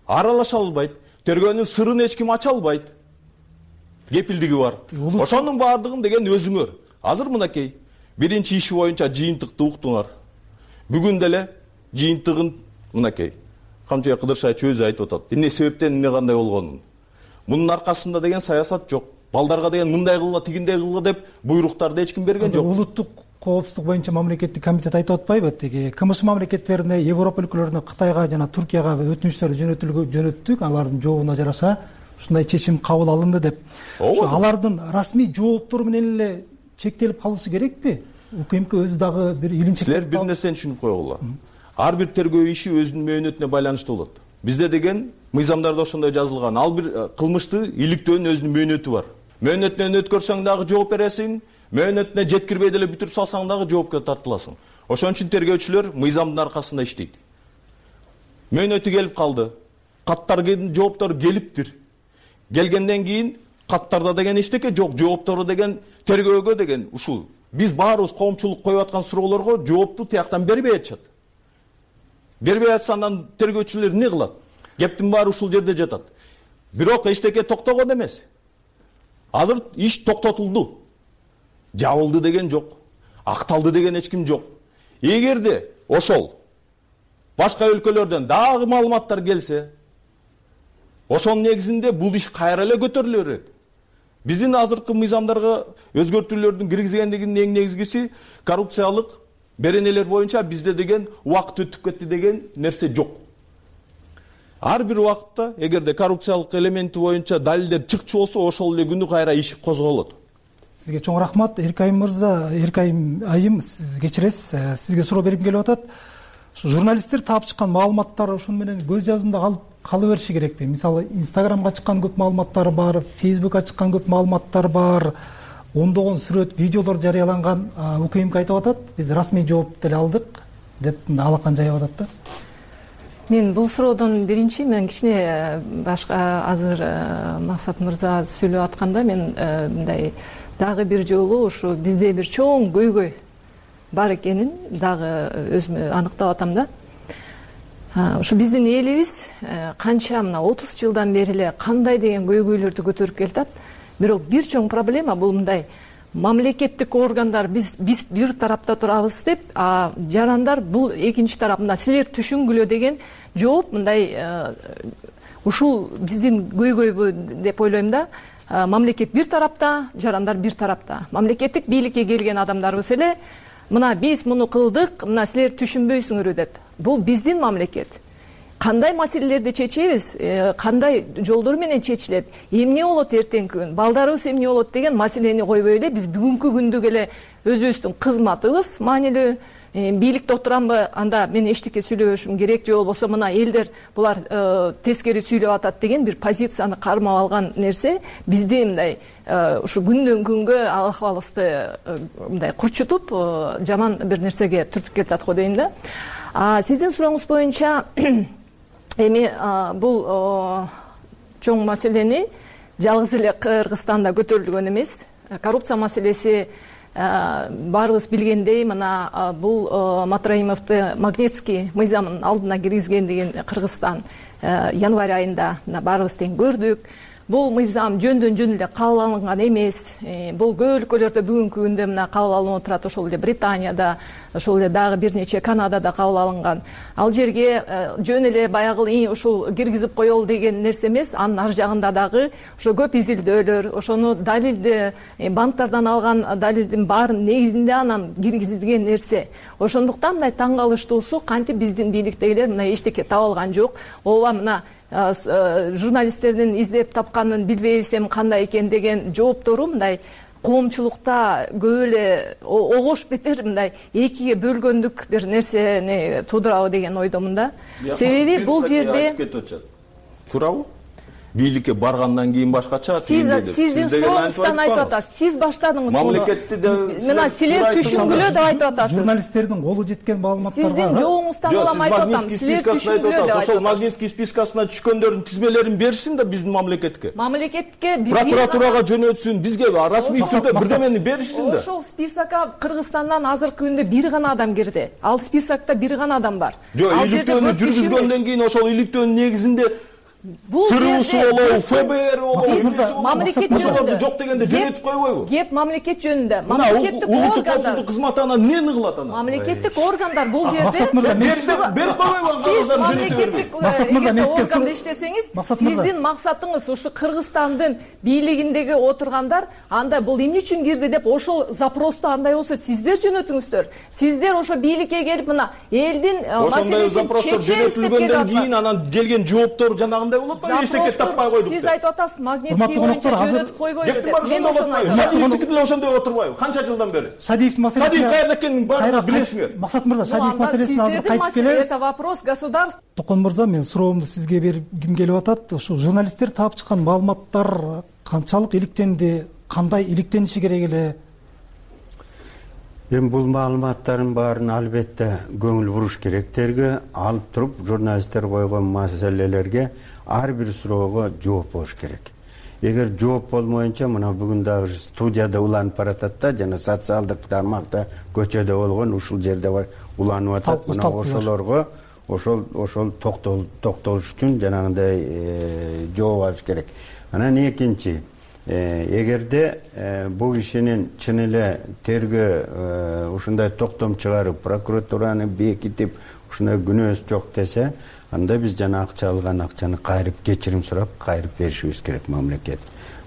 аралаша албайт, тергөөнүн сырын эч ким ача албайт. Кепилдиги бар. Ошонун баардыгын деген өзүңөр. Азыр мынакей биринчи иши боюнча жыйынтыкты уктуңар. Бүгүн деле жыйынтыгын мынакей Камчыбек Кыдыршаевич өзү айтып атат. Эмне себептен эмне кандай болгонун. Мунун аркасында деген саясат жок. Балдарга деген мындай кылгыла, тигиндей кылгыла деп буйруктарды эч ким берген жок. Улуттук коопсуздук боюнча мамлекеттик комитет айтып атпайбы? Тиги КМШ мамлекеттерине, Европа өлкөлөрүнө, Кытайга жана Туркияга өтүнүчтөр жөнөтүлгөн, алардын жообуна жараша ушундай чечим кабыл алынды деп. Ошо алардын расмий жооптору менен эле чектелип калышы керекпи? УКМК өзү дагы бир илимчек. Силер бир нерсени түшүнүп койгула. Ар бир тергөө иши өзүнүн мөөнөтүнө байланыштуу болот. Бизде деген мыйзамдарда ошондой жазылган. Ал бир кылмышты иликтөөнүн өзүнүн мөөнөтү бар. Мөөнөтүнөн өткөрсөң дагы жооп бересиң, мөөнөтүнө жеткирбей деле бүтүрүп салсаң дагы жоопко тартыласың. Ошон үчүн тергөөчүлөр мыйзамдын аркасында иштейт. Мөөнөтү келип калды. Каттардын жооптору келиптир. Келгенден кийин каттарда деген эчтеке жок, жооптору деген тергөөгө деген ушул. Биз баарыбыз коомчулук коюп аткан суроолорго жоопту тияктан бербей атышат. Бербей атса андан тергөөчүлөр эмне кылат? Кептин баары ушул жерде жатат. Бирок эчтеке токтогон эмес. Азыр иш токтотулду. жабылды деген жок, акталды деген эч ким жок. Эгерде ошол башка өлкөлөрдөн дагы маалыматтар келсе, ошонун негизинде бул иш кайра эле көтөрүлө берет. Биздин азыркы мыйзамдарга өзгөртүүлөрдүн киргизгендигинин эң негизгиси коррупциялык беренелер боюнча бизде деген убакыт өтүп кетти деген нерсе жок. Ар бир убакытта эгерде коррупциялык элементи боюнча далилдер чыкчу болсо, ошол эле күнү кайра иш козголот. Сизге чоң рахмат. Эркайым мырза, Эркайым айым, сиз кечиресиз, сизге суроо бергим келип атат. Журналисттер таап чыккан маалыматтар ошону менен көз жазымда калып кала бериши керекпи? Мисалы, Инстаграмга чыккан көп маалыматтар бар, Фейсбукка чыккан көп маалыматтар бар, ондогон сүрөт, видеолор жарыяланган. УКМК айтып атат, биз расмий жооп деле алдык деп алакан жайып атат да. Мен бул суроодон биринчи мен кичине башка азыр Максат мырза сүйлөп атканда мен мындай дагы бир жолу ушу бизде бир чоң көйгөй бар экенин дагы өзүмө аныктап атам да. Ушу биздин элибиз канча мына отуз жылдан бери эле кандай деген көйгөйлөрдү көтөрүп келатат. Бирок бир чоң проблема бул мындай: мамлекеттик органдар биз биз бир тарапта турабыз деп, а жарандар бул экинчи тарап. Мына силер түшүнгүлө деген жооп мындай ушул биздин көйгөйбү деп ойлойм да. Мамлекет бир тарапта, жарандар бир тарапта. Мамлекеттик бийликке келген адамдарыбыз эле мына биз муну кылдык, мына силер түшүнбөйсүңөр деп. Бул биздин мамлекет. Кандай маселелерди чечебиз, кандай жолдор менен чечилет, эмне болот эртеңки күн, балдарыбыз эмне болот деген маселени койбой эле биз бүгүнкү күндүк эле өзүбүздүн кызматыбыз маанилүү, бийликте отурамбы, анда мен эчтеке сүйлөбөшүм керек, же болбосо мына элдер булар тескери сүйлөп атат деген бир позицияны кармап алган нерсе бизди мындай ушу күндөн күнгө ахыбалыбызды мындай курчутуп, жаман бир нерсеге түртүп кетат го дейм да. Сиздин сурооңуз боюнча эми бул чоң маселени жалгыз эле Кыргызстанда көтөрүлгөн эмес. Коррупция маселеси баарыбыз билгендей, мына бул Матраимовду Магнитский мыйзамынын алдына киргизгендигин Кыргызстан январь айында баарыбыз тең көрдүк. Бул мыйзам жөндөн жөн эле кабыл алынган эмес. Бул көп өлкөлөрдө бүгүнкү күндө мына кабыл алынып турат. Ошол эле Британияда, ошол эле дагы бир нече Канадада кабыл алынган. Ал жерге жөн эле баягы ушул киргизип коелу деген нерсе эмес. Анын ар жагында дагы ошо көп изилдөөлөр, ошону далилди, банктардан алган далилдин баарын негизинде анан киргизилген нерсе. Ошондуктан мындай таң калыштуусу, кантип биздин бийликтегилер мына эчтеке таба алган жок. Ооба мына журналисттердин издеп тапканын билбейбиз эми кандай экен деген жооптору мындай коомчулукта көп эле огош бетер мындай экиге бөлгөндүк бир нерсени туудурабы деген ойдомун да. Себеби бул жерде туурабы? Бийликке баргандан кийин башкача түйүндө деп. Сиздин сооңуздан айтып атасыз. Сиз баштадыңыз муну. Мамлекетти да мына силер түшүнгүлө деп айтып атасыз. Журналисттердин колу жеткен маалыматтарга сиздин жоогуңуздан улам айтып атам. Силер түшүнгүлө деп атасыз. Ошол Магнитский спискасына түшкөндөрдүн тизмелерин беришсин да биздин мамлекетке. Мамлекетке прокуратурага жөнөтсүн, бизге расмий түрдө бирдемени беришсин да. Ошол списокко Кыргызстандан азыркы күндө бир гана адам кирди. Ал списокто бир гана адам бар. Жок, иликтөөнү жүргүзгөндөн кийин ошол иликтөөнүн негизинде Сырусу болобу, ФБР болобу, мамлекет жөнүндө жок дегенде жөнөтүп койбойбу? Кеп мамлекет жөнүндө. Мамлекеттик органдар кызмат анан эмнени кылат анан? Мамлекеттик органдар бул жерде берип койбойбу? Сиз мамлекеттик органда иштесеңиз, сиздин максатыңыз ушу Кыргызстандын бийлигиндеги отургандар анда бул эмне үчүн кирди деп ошол запросту андай болсо сиздер жөнөтүңүздөр. Сиздер ошо бийликке келип мына элдин маселесин жөнөтүлгөндөн кийин анан келген жооптор жанагы эчтеке таппай койдук. Сиз айтып атасыз, Магнитский боюнча жөнөтүп койбойбу деп. Мен ошону айтам. Шадиевдики деле ошондой отурбайбы? Канча жылдан бери? Шадиев маселеси. Шадиев кайерде экенин баарын билесиңер. Максат мырза, Шадиев маселесине азыр кайтып келебиз. Это вопрос государства. Токон мырза, мен суроомду сизге бергим келип атат. Ошо журналисттер таап чыккан маалыматтар канчалык иликтенди, кандай иликтениши керек эле? Эми бул маалыматтардын баарын албетте көңүл буруш керектерге алып туруп, журналисттер койгон маселелерге ар бир суроого жооп болуш керек. Эгер жооп болмоюнча, мына бүгүн дагы студияда уланып баратат да, жана социалдык тармакта көчөдө болгон ушул жерде бар уланып атат. Мына ошолорго ошол ошол токтолуш үчүн жанагындай жооп алыш керек. Анан экинчи, эгерде бул кишинин чын эле тергөө ушундай токтом чыгарып, прокуратураны бекитип ушундай күнөөсү жок десе, анда биз жана акча алган акчаны кайрып, кечирим сурап кайрып беришибиз керек мамлекет.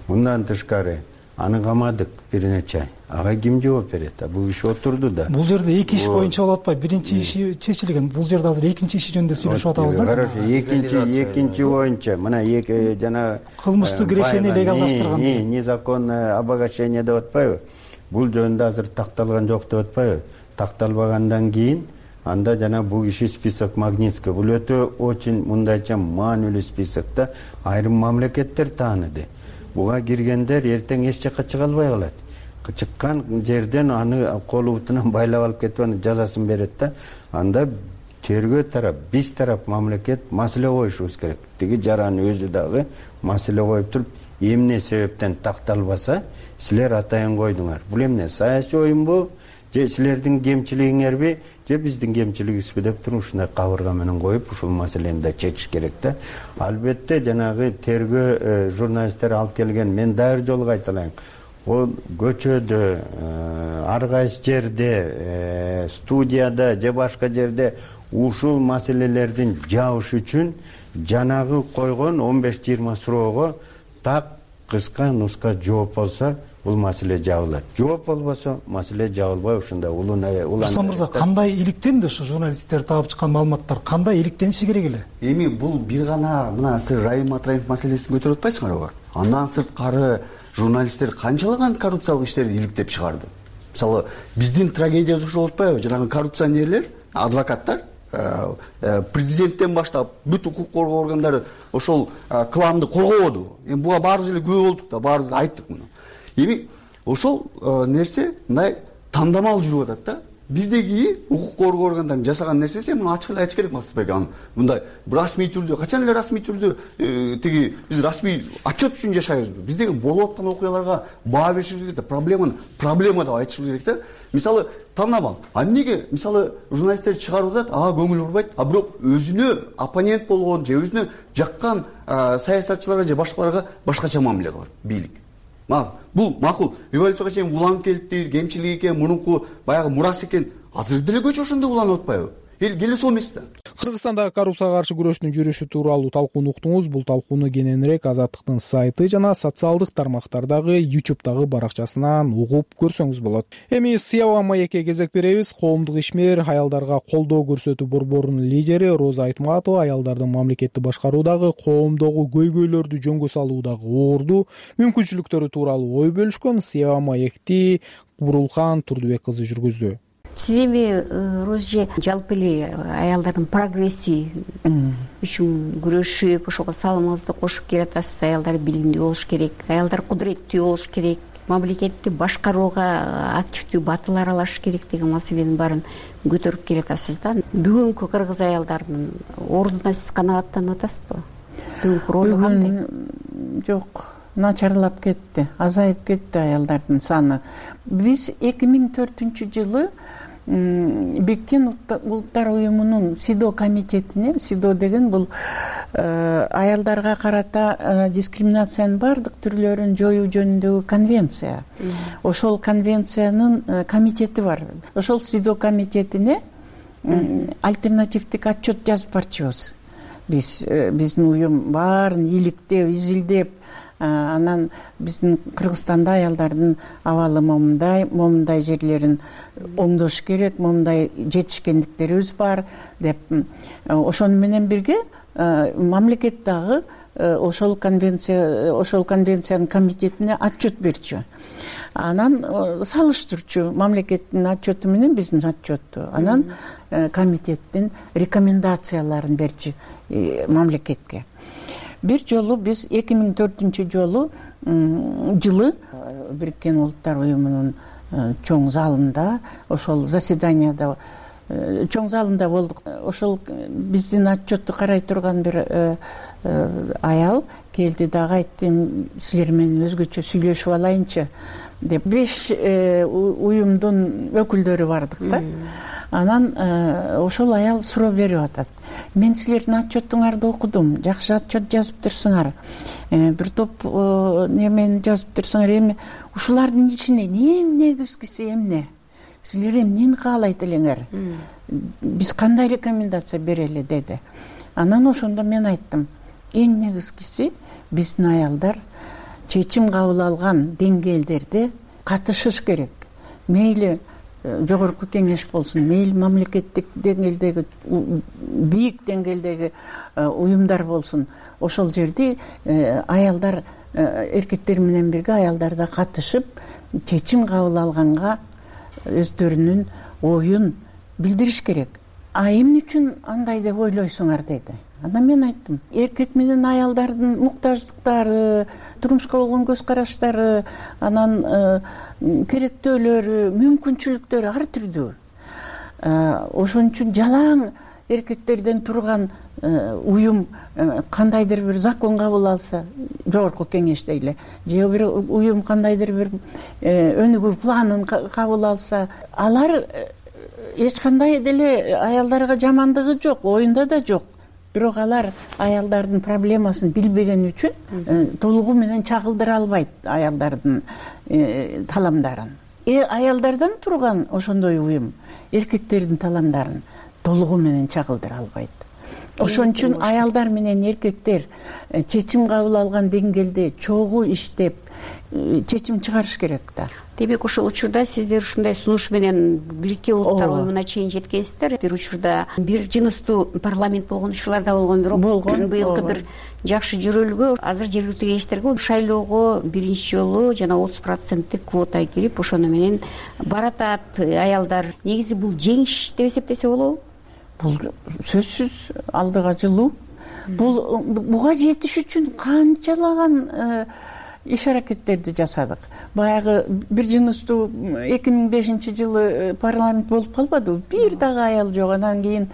Мындан тышкары аны камадык бир нече ай. Ага ким жооп берет? Бул иш отурду да. Бул жерде эки иш боюнча болуп атпайбы? Биринчи иши чечилген. Бул жерде азыр экинчи иши жөнүндө сүйлөшүп атабыз да. Хорошо, экинчи экинчи боюнча мына эки жана кылмыштык решение легалдаштырган. Незаконное обогащение деп атпайбы? Бул жөнүндө азыр такталган жок деп атпайбы? Такталбагандан кийин анда жана бул киши список Магнитский. Бул өтө очень мындайча маанилүү список да. Айрым мамлекеттер тааныды. Буга киргендер эртең эч жакка чыга албай калат. Чыккан жерден аны колу бутунан байлап алып кетип анын жазасын берет да. Анда тергөө тарап, биз тарап мамлекет маселе коюшубуз керек. Тиги жараны өзү дагы маселе коюп туруп, эмне себептен такталбаса, силер атайын койдуңар. Бул эмне саясий оюнбу? Же силердин кемчилигиңерби, же биздин кемчилигибизби деп туруп ушундай кабырга менен коюп, ушул маселени да чечиш керек да. Албетте жанагы тергөө журналисттер алып келген, мен дагы бир жолу кайталайын. Ол көчөдө, ар кайсы жерде, студияда же башка жерде ушул маселелердин жабыш үчүн жанагы койгон он беш жыйырма суроого так кыска нуска жооп болсо, бул маселе жабылат. Жооп болбосо, маселе жабылбай ушундай улан улан. Мырза, кандай иликтенди ушу журналисттер таап чыккан маалыматтар? Кандай иликтениши керек эле? Эми бул бир гана мына сиз Райым Матраимов маселесин көтөрүп атпайсыңарбы? Андан сырткары журналисттер канчалаган коррупциялык иштерди иликтеп чыгарды. Мисалы, биздин трагедиябыз ушул болуп атпайбы? Жанагы коррупционерлер, адвокаттар, президенттен баштап бүт укук коргоо органдары ошол кламды коргободу. Эми буга баарыбыз эле күбө болдук да, баарыбыз айттык муну. Эми ошол нерсе мындай тандамал жүрүп атат да. Биздеги укук коргоо органдарын жасаган нерсеси муну ачык эле айтыш керек Мастыкбек. Аны мындай расмий түрдө, качан эле расмий түрдө тиги биз расмий отчет үчүн жашайбызбы? Биздеги болуп аткан окуяларга баа беришибиз керек да. Проблеманы проблема деп айтышыбыз керек да. Мисалы, тандамал. А эмнеге мисалы журналисттер чыгарып атат, ага көңүл бурбайт, а бирок өзүнө оппонент болгон же өзүнө жаккан саясатчыларга же башкаларга башкача мамиле кылат бийлик. Бул макул. Революцияга чейин уланып келди, кемчилик экен, мурунку баягы мурас экен. Азыр деле көчө ошондой уланып атпайбы? Эл келе эмес да. Кыргызстандагы коррупцияга каршы күрөштүн жүрүшү тууралуу талкууну уктуңуз. Бул талкууну кененирээк Азаттыктын сайты жана социалдык тармактардагы YouTube'дагы баракчасынан угуп көрсөңүз болот. Эми Сыяба маекке кезек беребиз. Коомдук ишмер, аялдарга колдоо көрсөтүү борборунун лидери Роза Айтматова аялдардын мамлекетти башкаруудагы, коомдогу көйгөйлөрдү жөнгө салуудагы оорду мүмкүнчүлүктөрү тууралуу ой бөлүшкөн. Сыяба маекти Кубрулкан Турдубек кызы жүргүздү. Сиз эми Розже жалпы эле аялдардын прогресси үчүн күрөшүп, ошого салымыңызды кошуп келатасыз. Аялдар билимдүү болуш керек, аялдар кудуреттүү болуш керек, мамлекетти башкарууга активдүү батыл аралашыш керек деген маселенин баарын көтөрүп келатасыз да. Бүгүнкү кыргыз аялдарынын ордуна сиз канааттанып атасызбы? Бүгүнкү ролу кандай? Жок, начарлап кетти, азайып кетти аялдардын саны. Биз эки миң төртүнчү жылы Бириккен Улуттар уюмунун СИДО комитетине, СИДО деген бул аялдарга карата дискриминациянын баардык түрлөрүн жоюу жөнүндөгү конвенция. Ошол конвенциянын комитети бар. Ошол СИДО комитетине альтернативдик отчет жазып барчубуз. Биз биздин уюм баарын иликтеп, изилдеп, анан биздин Кыргызстанда аялдардын абалы момундай, момундай жерлерин оңдош керек, момундай жетишкендиктерибиз бар деп, ошону менен бирге мамлекет дагы ошол конвенция, ошол конвенциянын комитетине отчет берчү. Анан салыштырчу мамлекеттин отчету менен биздин отчетту. Анан комитеттин рекомендацияларын берчү мамлекетке. Бир жолу биз эки миң төртүнчү жолу жылы Бириккен Улуттар уюмунун чоң залында, ошол заседанияда чоң залында болдук. Ошол биздин отчетту карай турган бир аял келди дагы айтты, силер менен өзгөчө сүйлөшүп алайынчы деп беш уюмдун өкүлдөрү бардык да. Анан ошол аял суроо берип атат. Мен силердин отчетуңарды окудум, жакшы отчет жазыптырсыңар, бир топ немени жазыптырсыңар, эми ушулардын ичинен эң негизгиси эмне? Силер эмнени каалайт элеңер? Биз кандай рекомендация берели деди. Анан ошондо мен айттым, эң негизгиси биздин аялдар чечим кабыл алган деңгээлдерде катышыш керек. Мейли жогорку кеңеш болсун, мейли мамлекеттик деңгээлдеги, бийик деңгээлдеги уюмдар болсун, ошол жерде аялдар, эркектер менен бирге аялдар да катышып, чечим кабыл алганга өздөрүнүн оюн билдириш керек. А эмне үчүн андай деп ойлойсуңар деди. Анан мен айттым, эркек менен аялдардын муктаждыктары, турмушка болгон көз караштары, анан керектөөлөрү, мүмкүнчүлүктөрү ар түрдүү. Ошон үчүн жалаң эркектерден турган уюм кандайдыр бир закон кабыл алса, жогорку кеңеш дейли, же бир уюм кандайдыр бир өнүгүү планын кабыл алса, алар эч кандай деле аялдарга жамандыгы жок, оюнда да жок. Бирок алар аялдардын проблемасын билбеген үчүн толугу менен чагылдыра албайт аялдардын таламдарын. Э аялдардан турган ошондой уюм эркектердин таламдарын толугу менен чагылдыра албайт. Ошон үчүн аялдар менен эркектер чечим кабыл алган деңгээлде чогуу иштеп чечим чыгарыш керек да. Демек ошол учурда сиздер ушундай сунуш менен Бириккен Улуттар уюмуна чейин жеткенсиздер. Бир учурда бир жыныстуу парламент болгон учурлар да болгон, бирок быйылкы бир жакшы жөрөлгө азыр жергиликтүү кеңештерге шайлоого биринчи жолу жана отуз проценттик квота кирип, ошону менен баратат аялдар. Негизи бул жеңиш деп эсептесе болобу? Бул сөзсүз алдыга жылуу. Бул буга жетиш үчүн канчалаган иш аракеттерди жасадык. Баягы бир жыныстуу эки миң бешинчи жылы парламент болуп калбадыбы? Бир дагы аял жок. Анан кийин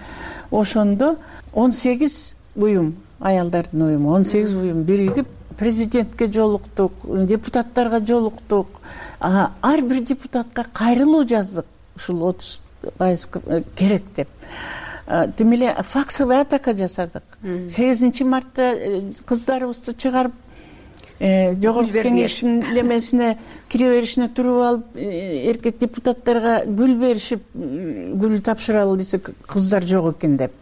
ошондо он сегиз уюм, аялдардын уюму, он сегиз уюм биригип президентке жолуктук, депутаттарга жолуктук. Ар бир депутатка кайрылуу жаздык. Ушул отуз пайыз керек деп. Тим эле факсовый атака жасадык. сегизинчи мартта кыздарыбызды чыгарып жогорку кеңештин лемесине кире беришине туруп алып, эркек депутаттарга гүл беришип, гүл тапшыралы десек, кыздар жок экен деп.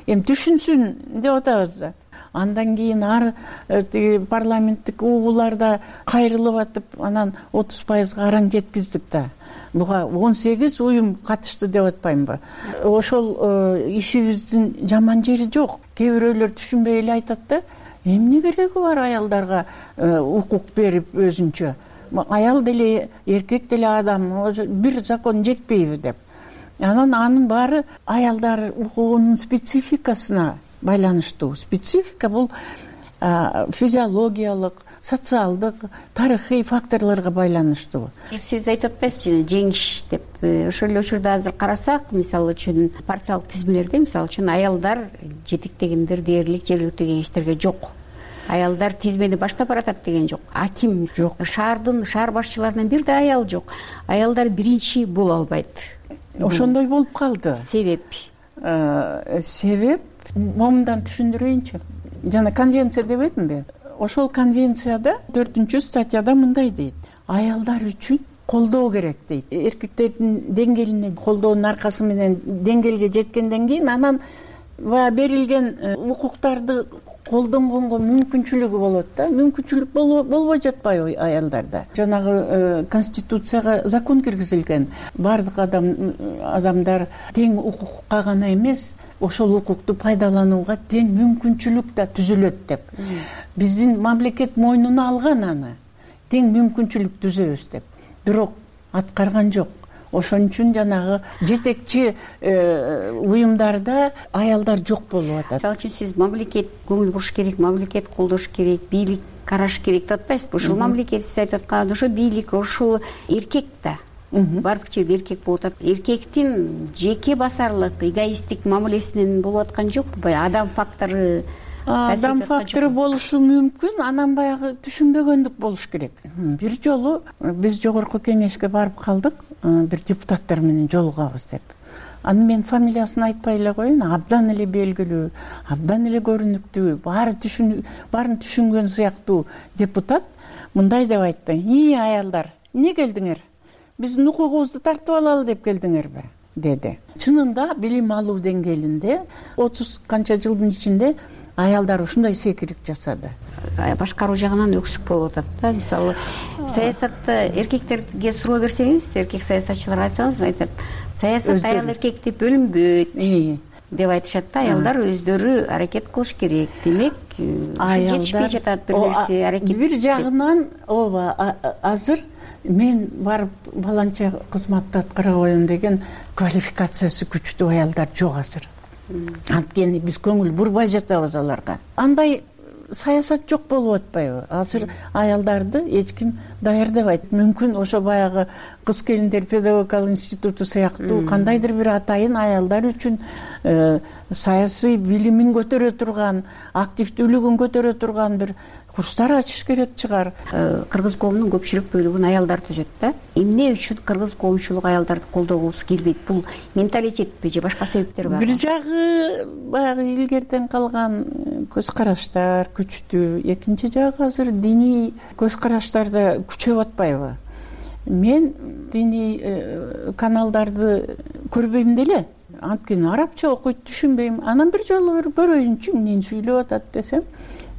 Эми түшүнсүн деп атабыз да. Андан кийин ар парламенттик угууларда кайрылып атып, анан отуз пайызга аран жеткиздик да. Буга он сегиз уюм катышты деп атпаймынбы? Ошол ишибиздин жаман жери жок. Кээ бирөөлөр түшүнбөй эле айтат да, эмне кереги бар аялдарга укук берип өзүнчө? Аял деле, эркек деле адам, бир закон жетпейби деп. Анан анын баары аялдар укугунун спецификасына байланыштуу. Специфика бул физиологиялык, социалдык, тарыхый факторлорго байланыштуу. Сиз айтып атпайсызбы, жеңиш деп. Ошол эле учурда азыр карасак, мисалы үчүн партиялык тизмелерде, мисалы үчүн аялдар жетектегендер дээрлик жергиликтүү кеңештерге жок. Аялдар тизмени баштап баратат деген жок. Аким жок. Шаардын шаар башчыларынан бир да аял жок. Аялдар биринчи боло албайт. Ошондой болуп калды. Себеп? Себеп момундан түшүндүрөйүнчү. Жана конвенция дебедимби? Ошол конвенцияда төртүнчү статьяда мындай дейт: аялдар үчүн колдоо керек дейт. Эркектердин деңгээлине колдоонун аркасы менен деңгээлге жеткенден кийин анан берилген укуктарды колдонгонго мүмкүнчүлүгү болот да. Мүмкүнчүлүк болбой жатпайбы аялдарда? Жанагы конституцияга закон киргизилген. Бардык адам адамдар тең укукка гана эмес, ошол укукту пайдаланууга тең мүмкүнчүлүк да түзүлөт деп. Биздин мамлекет мойнуна алган аны. Тең мүмкүнчүлүк түзөбүз деп. Бирок аткарган жок. Ошон үчүн жанагы жетекчи уюмдарда аялдар жок болуп атат. Мисалы үчүн сиз мамлекет көңүл буруш керек, мамлекет колдош керек, бийлик караш керек деп атпайсызбы? Ошол мамлекет сиз айтып аткан ошо бийлик, ошол эркек да. Бардык жерде эркек болуп атат. Эркектин жеке басарлык, эгоисттик мамилесинен болуп аткан жокпу? Баягы адам фактору адам фактору болушу мүмкүн, анан баягы түшүнбөгөндүк болуш керек. Бир жолу биз жогорку кеңешке барып калдык, бир депутаттар менен жолугабыз деп. Анын мен фамилиясын айтпай эле коеюн, абдан эле белгилүү, абдан эле көрүнүктүү, баары түшүн баарын түшүнгөн сыяктуу депутат мындай деп айтты: "И аялдар, эмне келдиңер? Биздин укугубузду тартып алалы деп келдиңерби?" деди. Чынында билим алуу деңгээлинде отуз канча жылдын ичинде аялдар ушундай секирип жасады. Башкаруу жагынан өксүк болуп атат да. Мисалы, саясатта эркектерге суроо берсеңиз, эркек саясатчыларга айтсаңыз, айтат: "Саясат аял эркекти бөлүнбөйт" деп айтышат да. Аялдар өздөрү аракет кылыш керек. Демек, жетишпей жатат бир нерсе аракет. Бир жагынан ооба, азыр мен барып баланча кызматты аткара коем деген квалификациясы күчтүү аялдар жок азыр. Анткени биз көңүл бурбай жатабыз аларга. Андай саясат жок болуп атпайбы? Азыр аялдарды эч ким даярдабайт. Мүмкүн ошо баягы кыз келиндер педагогикалык институту сыяктуу кандайдыр бир атайын аялдар үчүн саясий билимин көтөрө турган, активдүүлүгүн көтөрө турган бир курстар ачыш керек чыгар. Кыргыз коомунун көпчүлүк бөлүгүн аялдар түзөт да. Эмне үчүн кыргыз коомчулугу аялдарды колдогусу келбейт? Бул менталитетпи же башка себептер барбы? Бир жагы баягы илгертен калган көз караштар күчтүү, экинчи жагы азыр диний көз караштар да күчөп атпайбы? Мен диний каналдарды көрбөйм деле. Анткени арабча окуйт, түшүнбөйм. Анан бир жолу бир көрөйүнчү эмнени сүйлөп атат десем,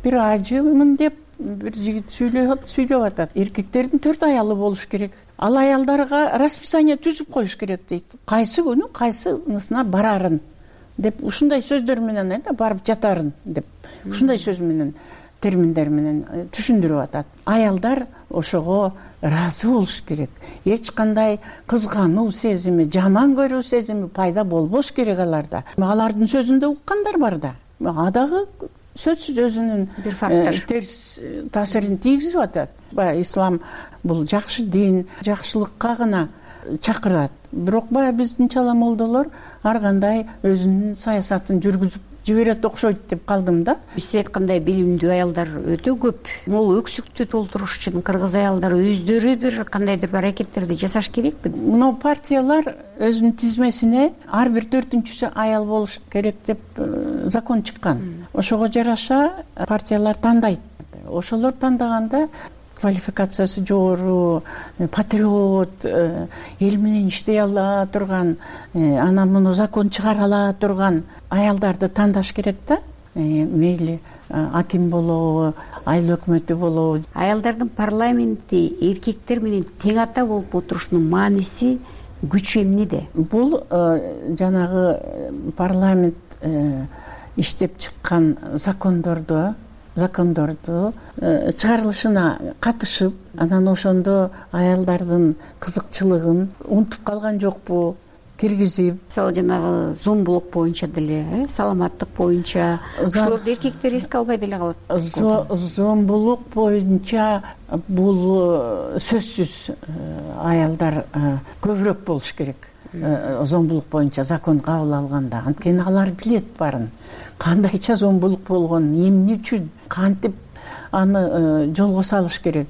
бир ажымын деп бир жигит сүйлөп сүйлөп атат. Эркектердин төрт аялы болуш керек. Ал аялдарга расписание түзүп коюш керек дейт. Кайсы күнү кайсынысына барарын деп ушундай сөздөр менен айтат, барып жатарын деп. Ушундай сөз менен, терминдер менен түшүндүрүп атат. Аялдар ошого ыраазы болуш керек. Эч кандай кызгануу сезими, жаман көрүү сезими пайда болбош керек аларда. Алардын сөзүндө уккандар бар да. Ага дагы сөзсүз өзүнүн бир фактор терс таасирин тийгизип атат. Баягы ислам бул жакшы дин, жакшылыкка гана чакырат. Бирок баягы биздин чала молдолор ар кандай өзүнүн саясатын жүргүзүп жиберет окшойт деп калдым да. Сиз айткандай билимдүү аялдар өтө көп. Бул өксүктү толтуруш үчүн кыргыз аялдары өздөрү бир кандайдыр бир аракеттерди жасаш керекпи? Мына партиялар өзүнүн тизмесине ар бир төртүнчүсү аял болуш керек деп закон чыккан. Ошого жараша партиялар тандайт. Ошолор тандаганда квалификациясы жогору, патриот, эл менен иштей ала турган, анан муну закон чыгара ала турган аялдарды тандаш керек да. Мейли аким болобу, айыл өкмөтү болобу. Аялдардын парламентти эркектер менен тең ата болуп отурушунун мааниси, күчү эмнеде? Бул жанагы парламент иштеп чыккан закондорду закондорду чыгарылышына катышып, анан ошондо аялдардын кызыкчылыгын унутуп калган жокпу, киргизип. Мисалы жанагы зомбулук боюнча деле, саламаттык боюнча ошолорду эркектер эске албай деле калат. Зомбулук боюнча бул сөзсүз аялдар көбүрөөк болуш керек. Зомбулук боюнча закон кабыл алганда, анткени алар билет барын. Кандайча зомбулук болгонун, эмне үчүн, кантип аны жолго салыш керек.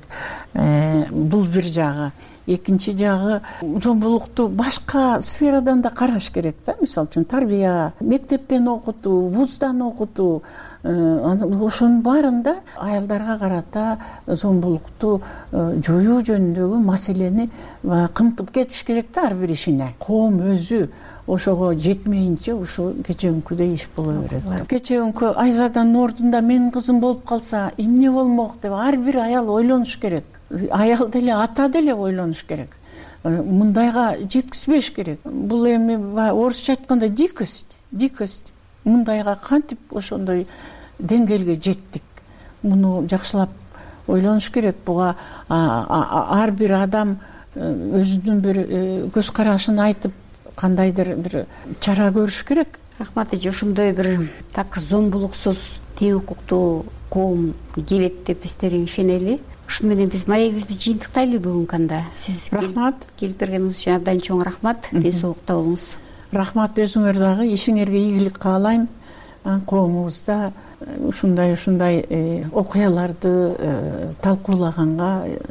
Бул бир жагы. Экинчи жагы, зомбулукту башка сферадан да караш керек да. Мисалы үчүн тарбия, мектептен окутуу, вуздан окутуу, ошонун баарында аялдарга карата зомбулукту жоюу жөнүндөгү маселени кымтып кетиш керек да ар бир ишине. Коом өзү ошого жетмейинче ушул кечеүнкүдөй иш боло берет. Кечеүнкү Айзаданын ордунда менин кызым болуп калса эмне болмок деп ар бир аял ойлонуш керек. Аял деле, ата деле ойлонуш керек. Мындайга жеткизбеш керек. Бул эми орусча айтканда дикость, дикость. Мындайга кантип ошондой деңгээлге жеттик? Муну жакшылап ойлонуш керек. Буга ар бир адам өзүнүн бир көз карашын айтып, кандайдыр бир чара көрүш керек. Рахмат эже, ошондой бир так зомбулуксуз, тең укуктуу коом келет деп биз терең ишенели. Ушуну менен биз маегибизди жыйынтыктайлы бүгүнкү анда. Сиз рахмат. Келип бергениңиз үчүн абдан чоң рахмат. Ден соолукта болуңуз. Рахмат өзүңөр дагы. Ишиңерге ийгилик каалайм. коомубузда ушундай ушундай окуяларды талкуулаганга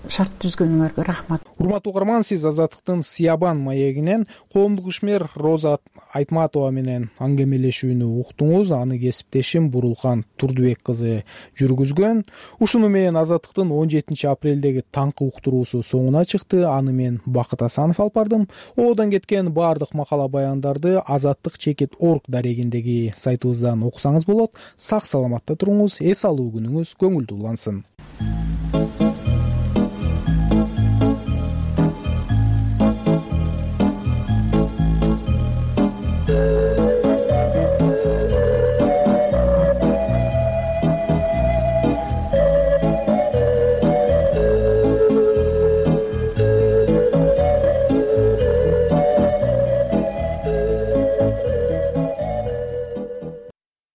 шарт түзгөнүңөргө рахмат. Урматтуу угарман, сиз Азаттыктын Сиябан маегинен коомдук ишмер Роза Айтматова менен аңгемелешүүнү уктуңуз. Аны кесиптешим Бурулхан Турдубек кызы жүргүзгөн. Ушуну менен Азаттыктын он жетинчи апрелдеги таңкы уктуруусу соңуна чыкты. Аны мен Бакыт Асанов алып бардым. Оодон кеткен баардык макала баяндарды азаттык чекит орг дарегиндеги сайтыбыздан окусаңыз болот. Сак саламатта туруңуз, эс алуу күнүңүз көңүлдүү улансын.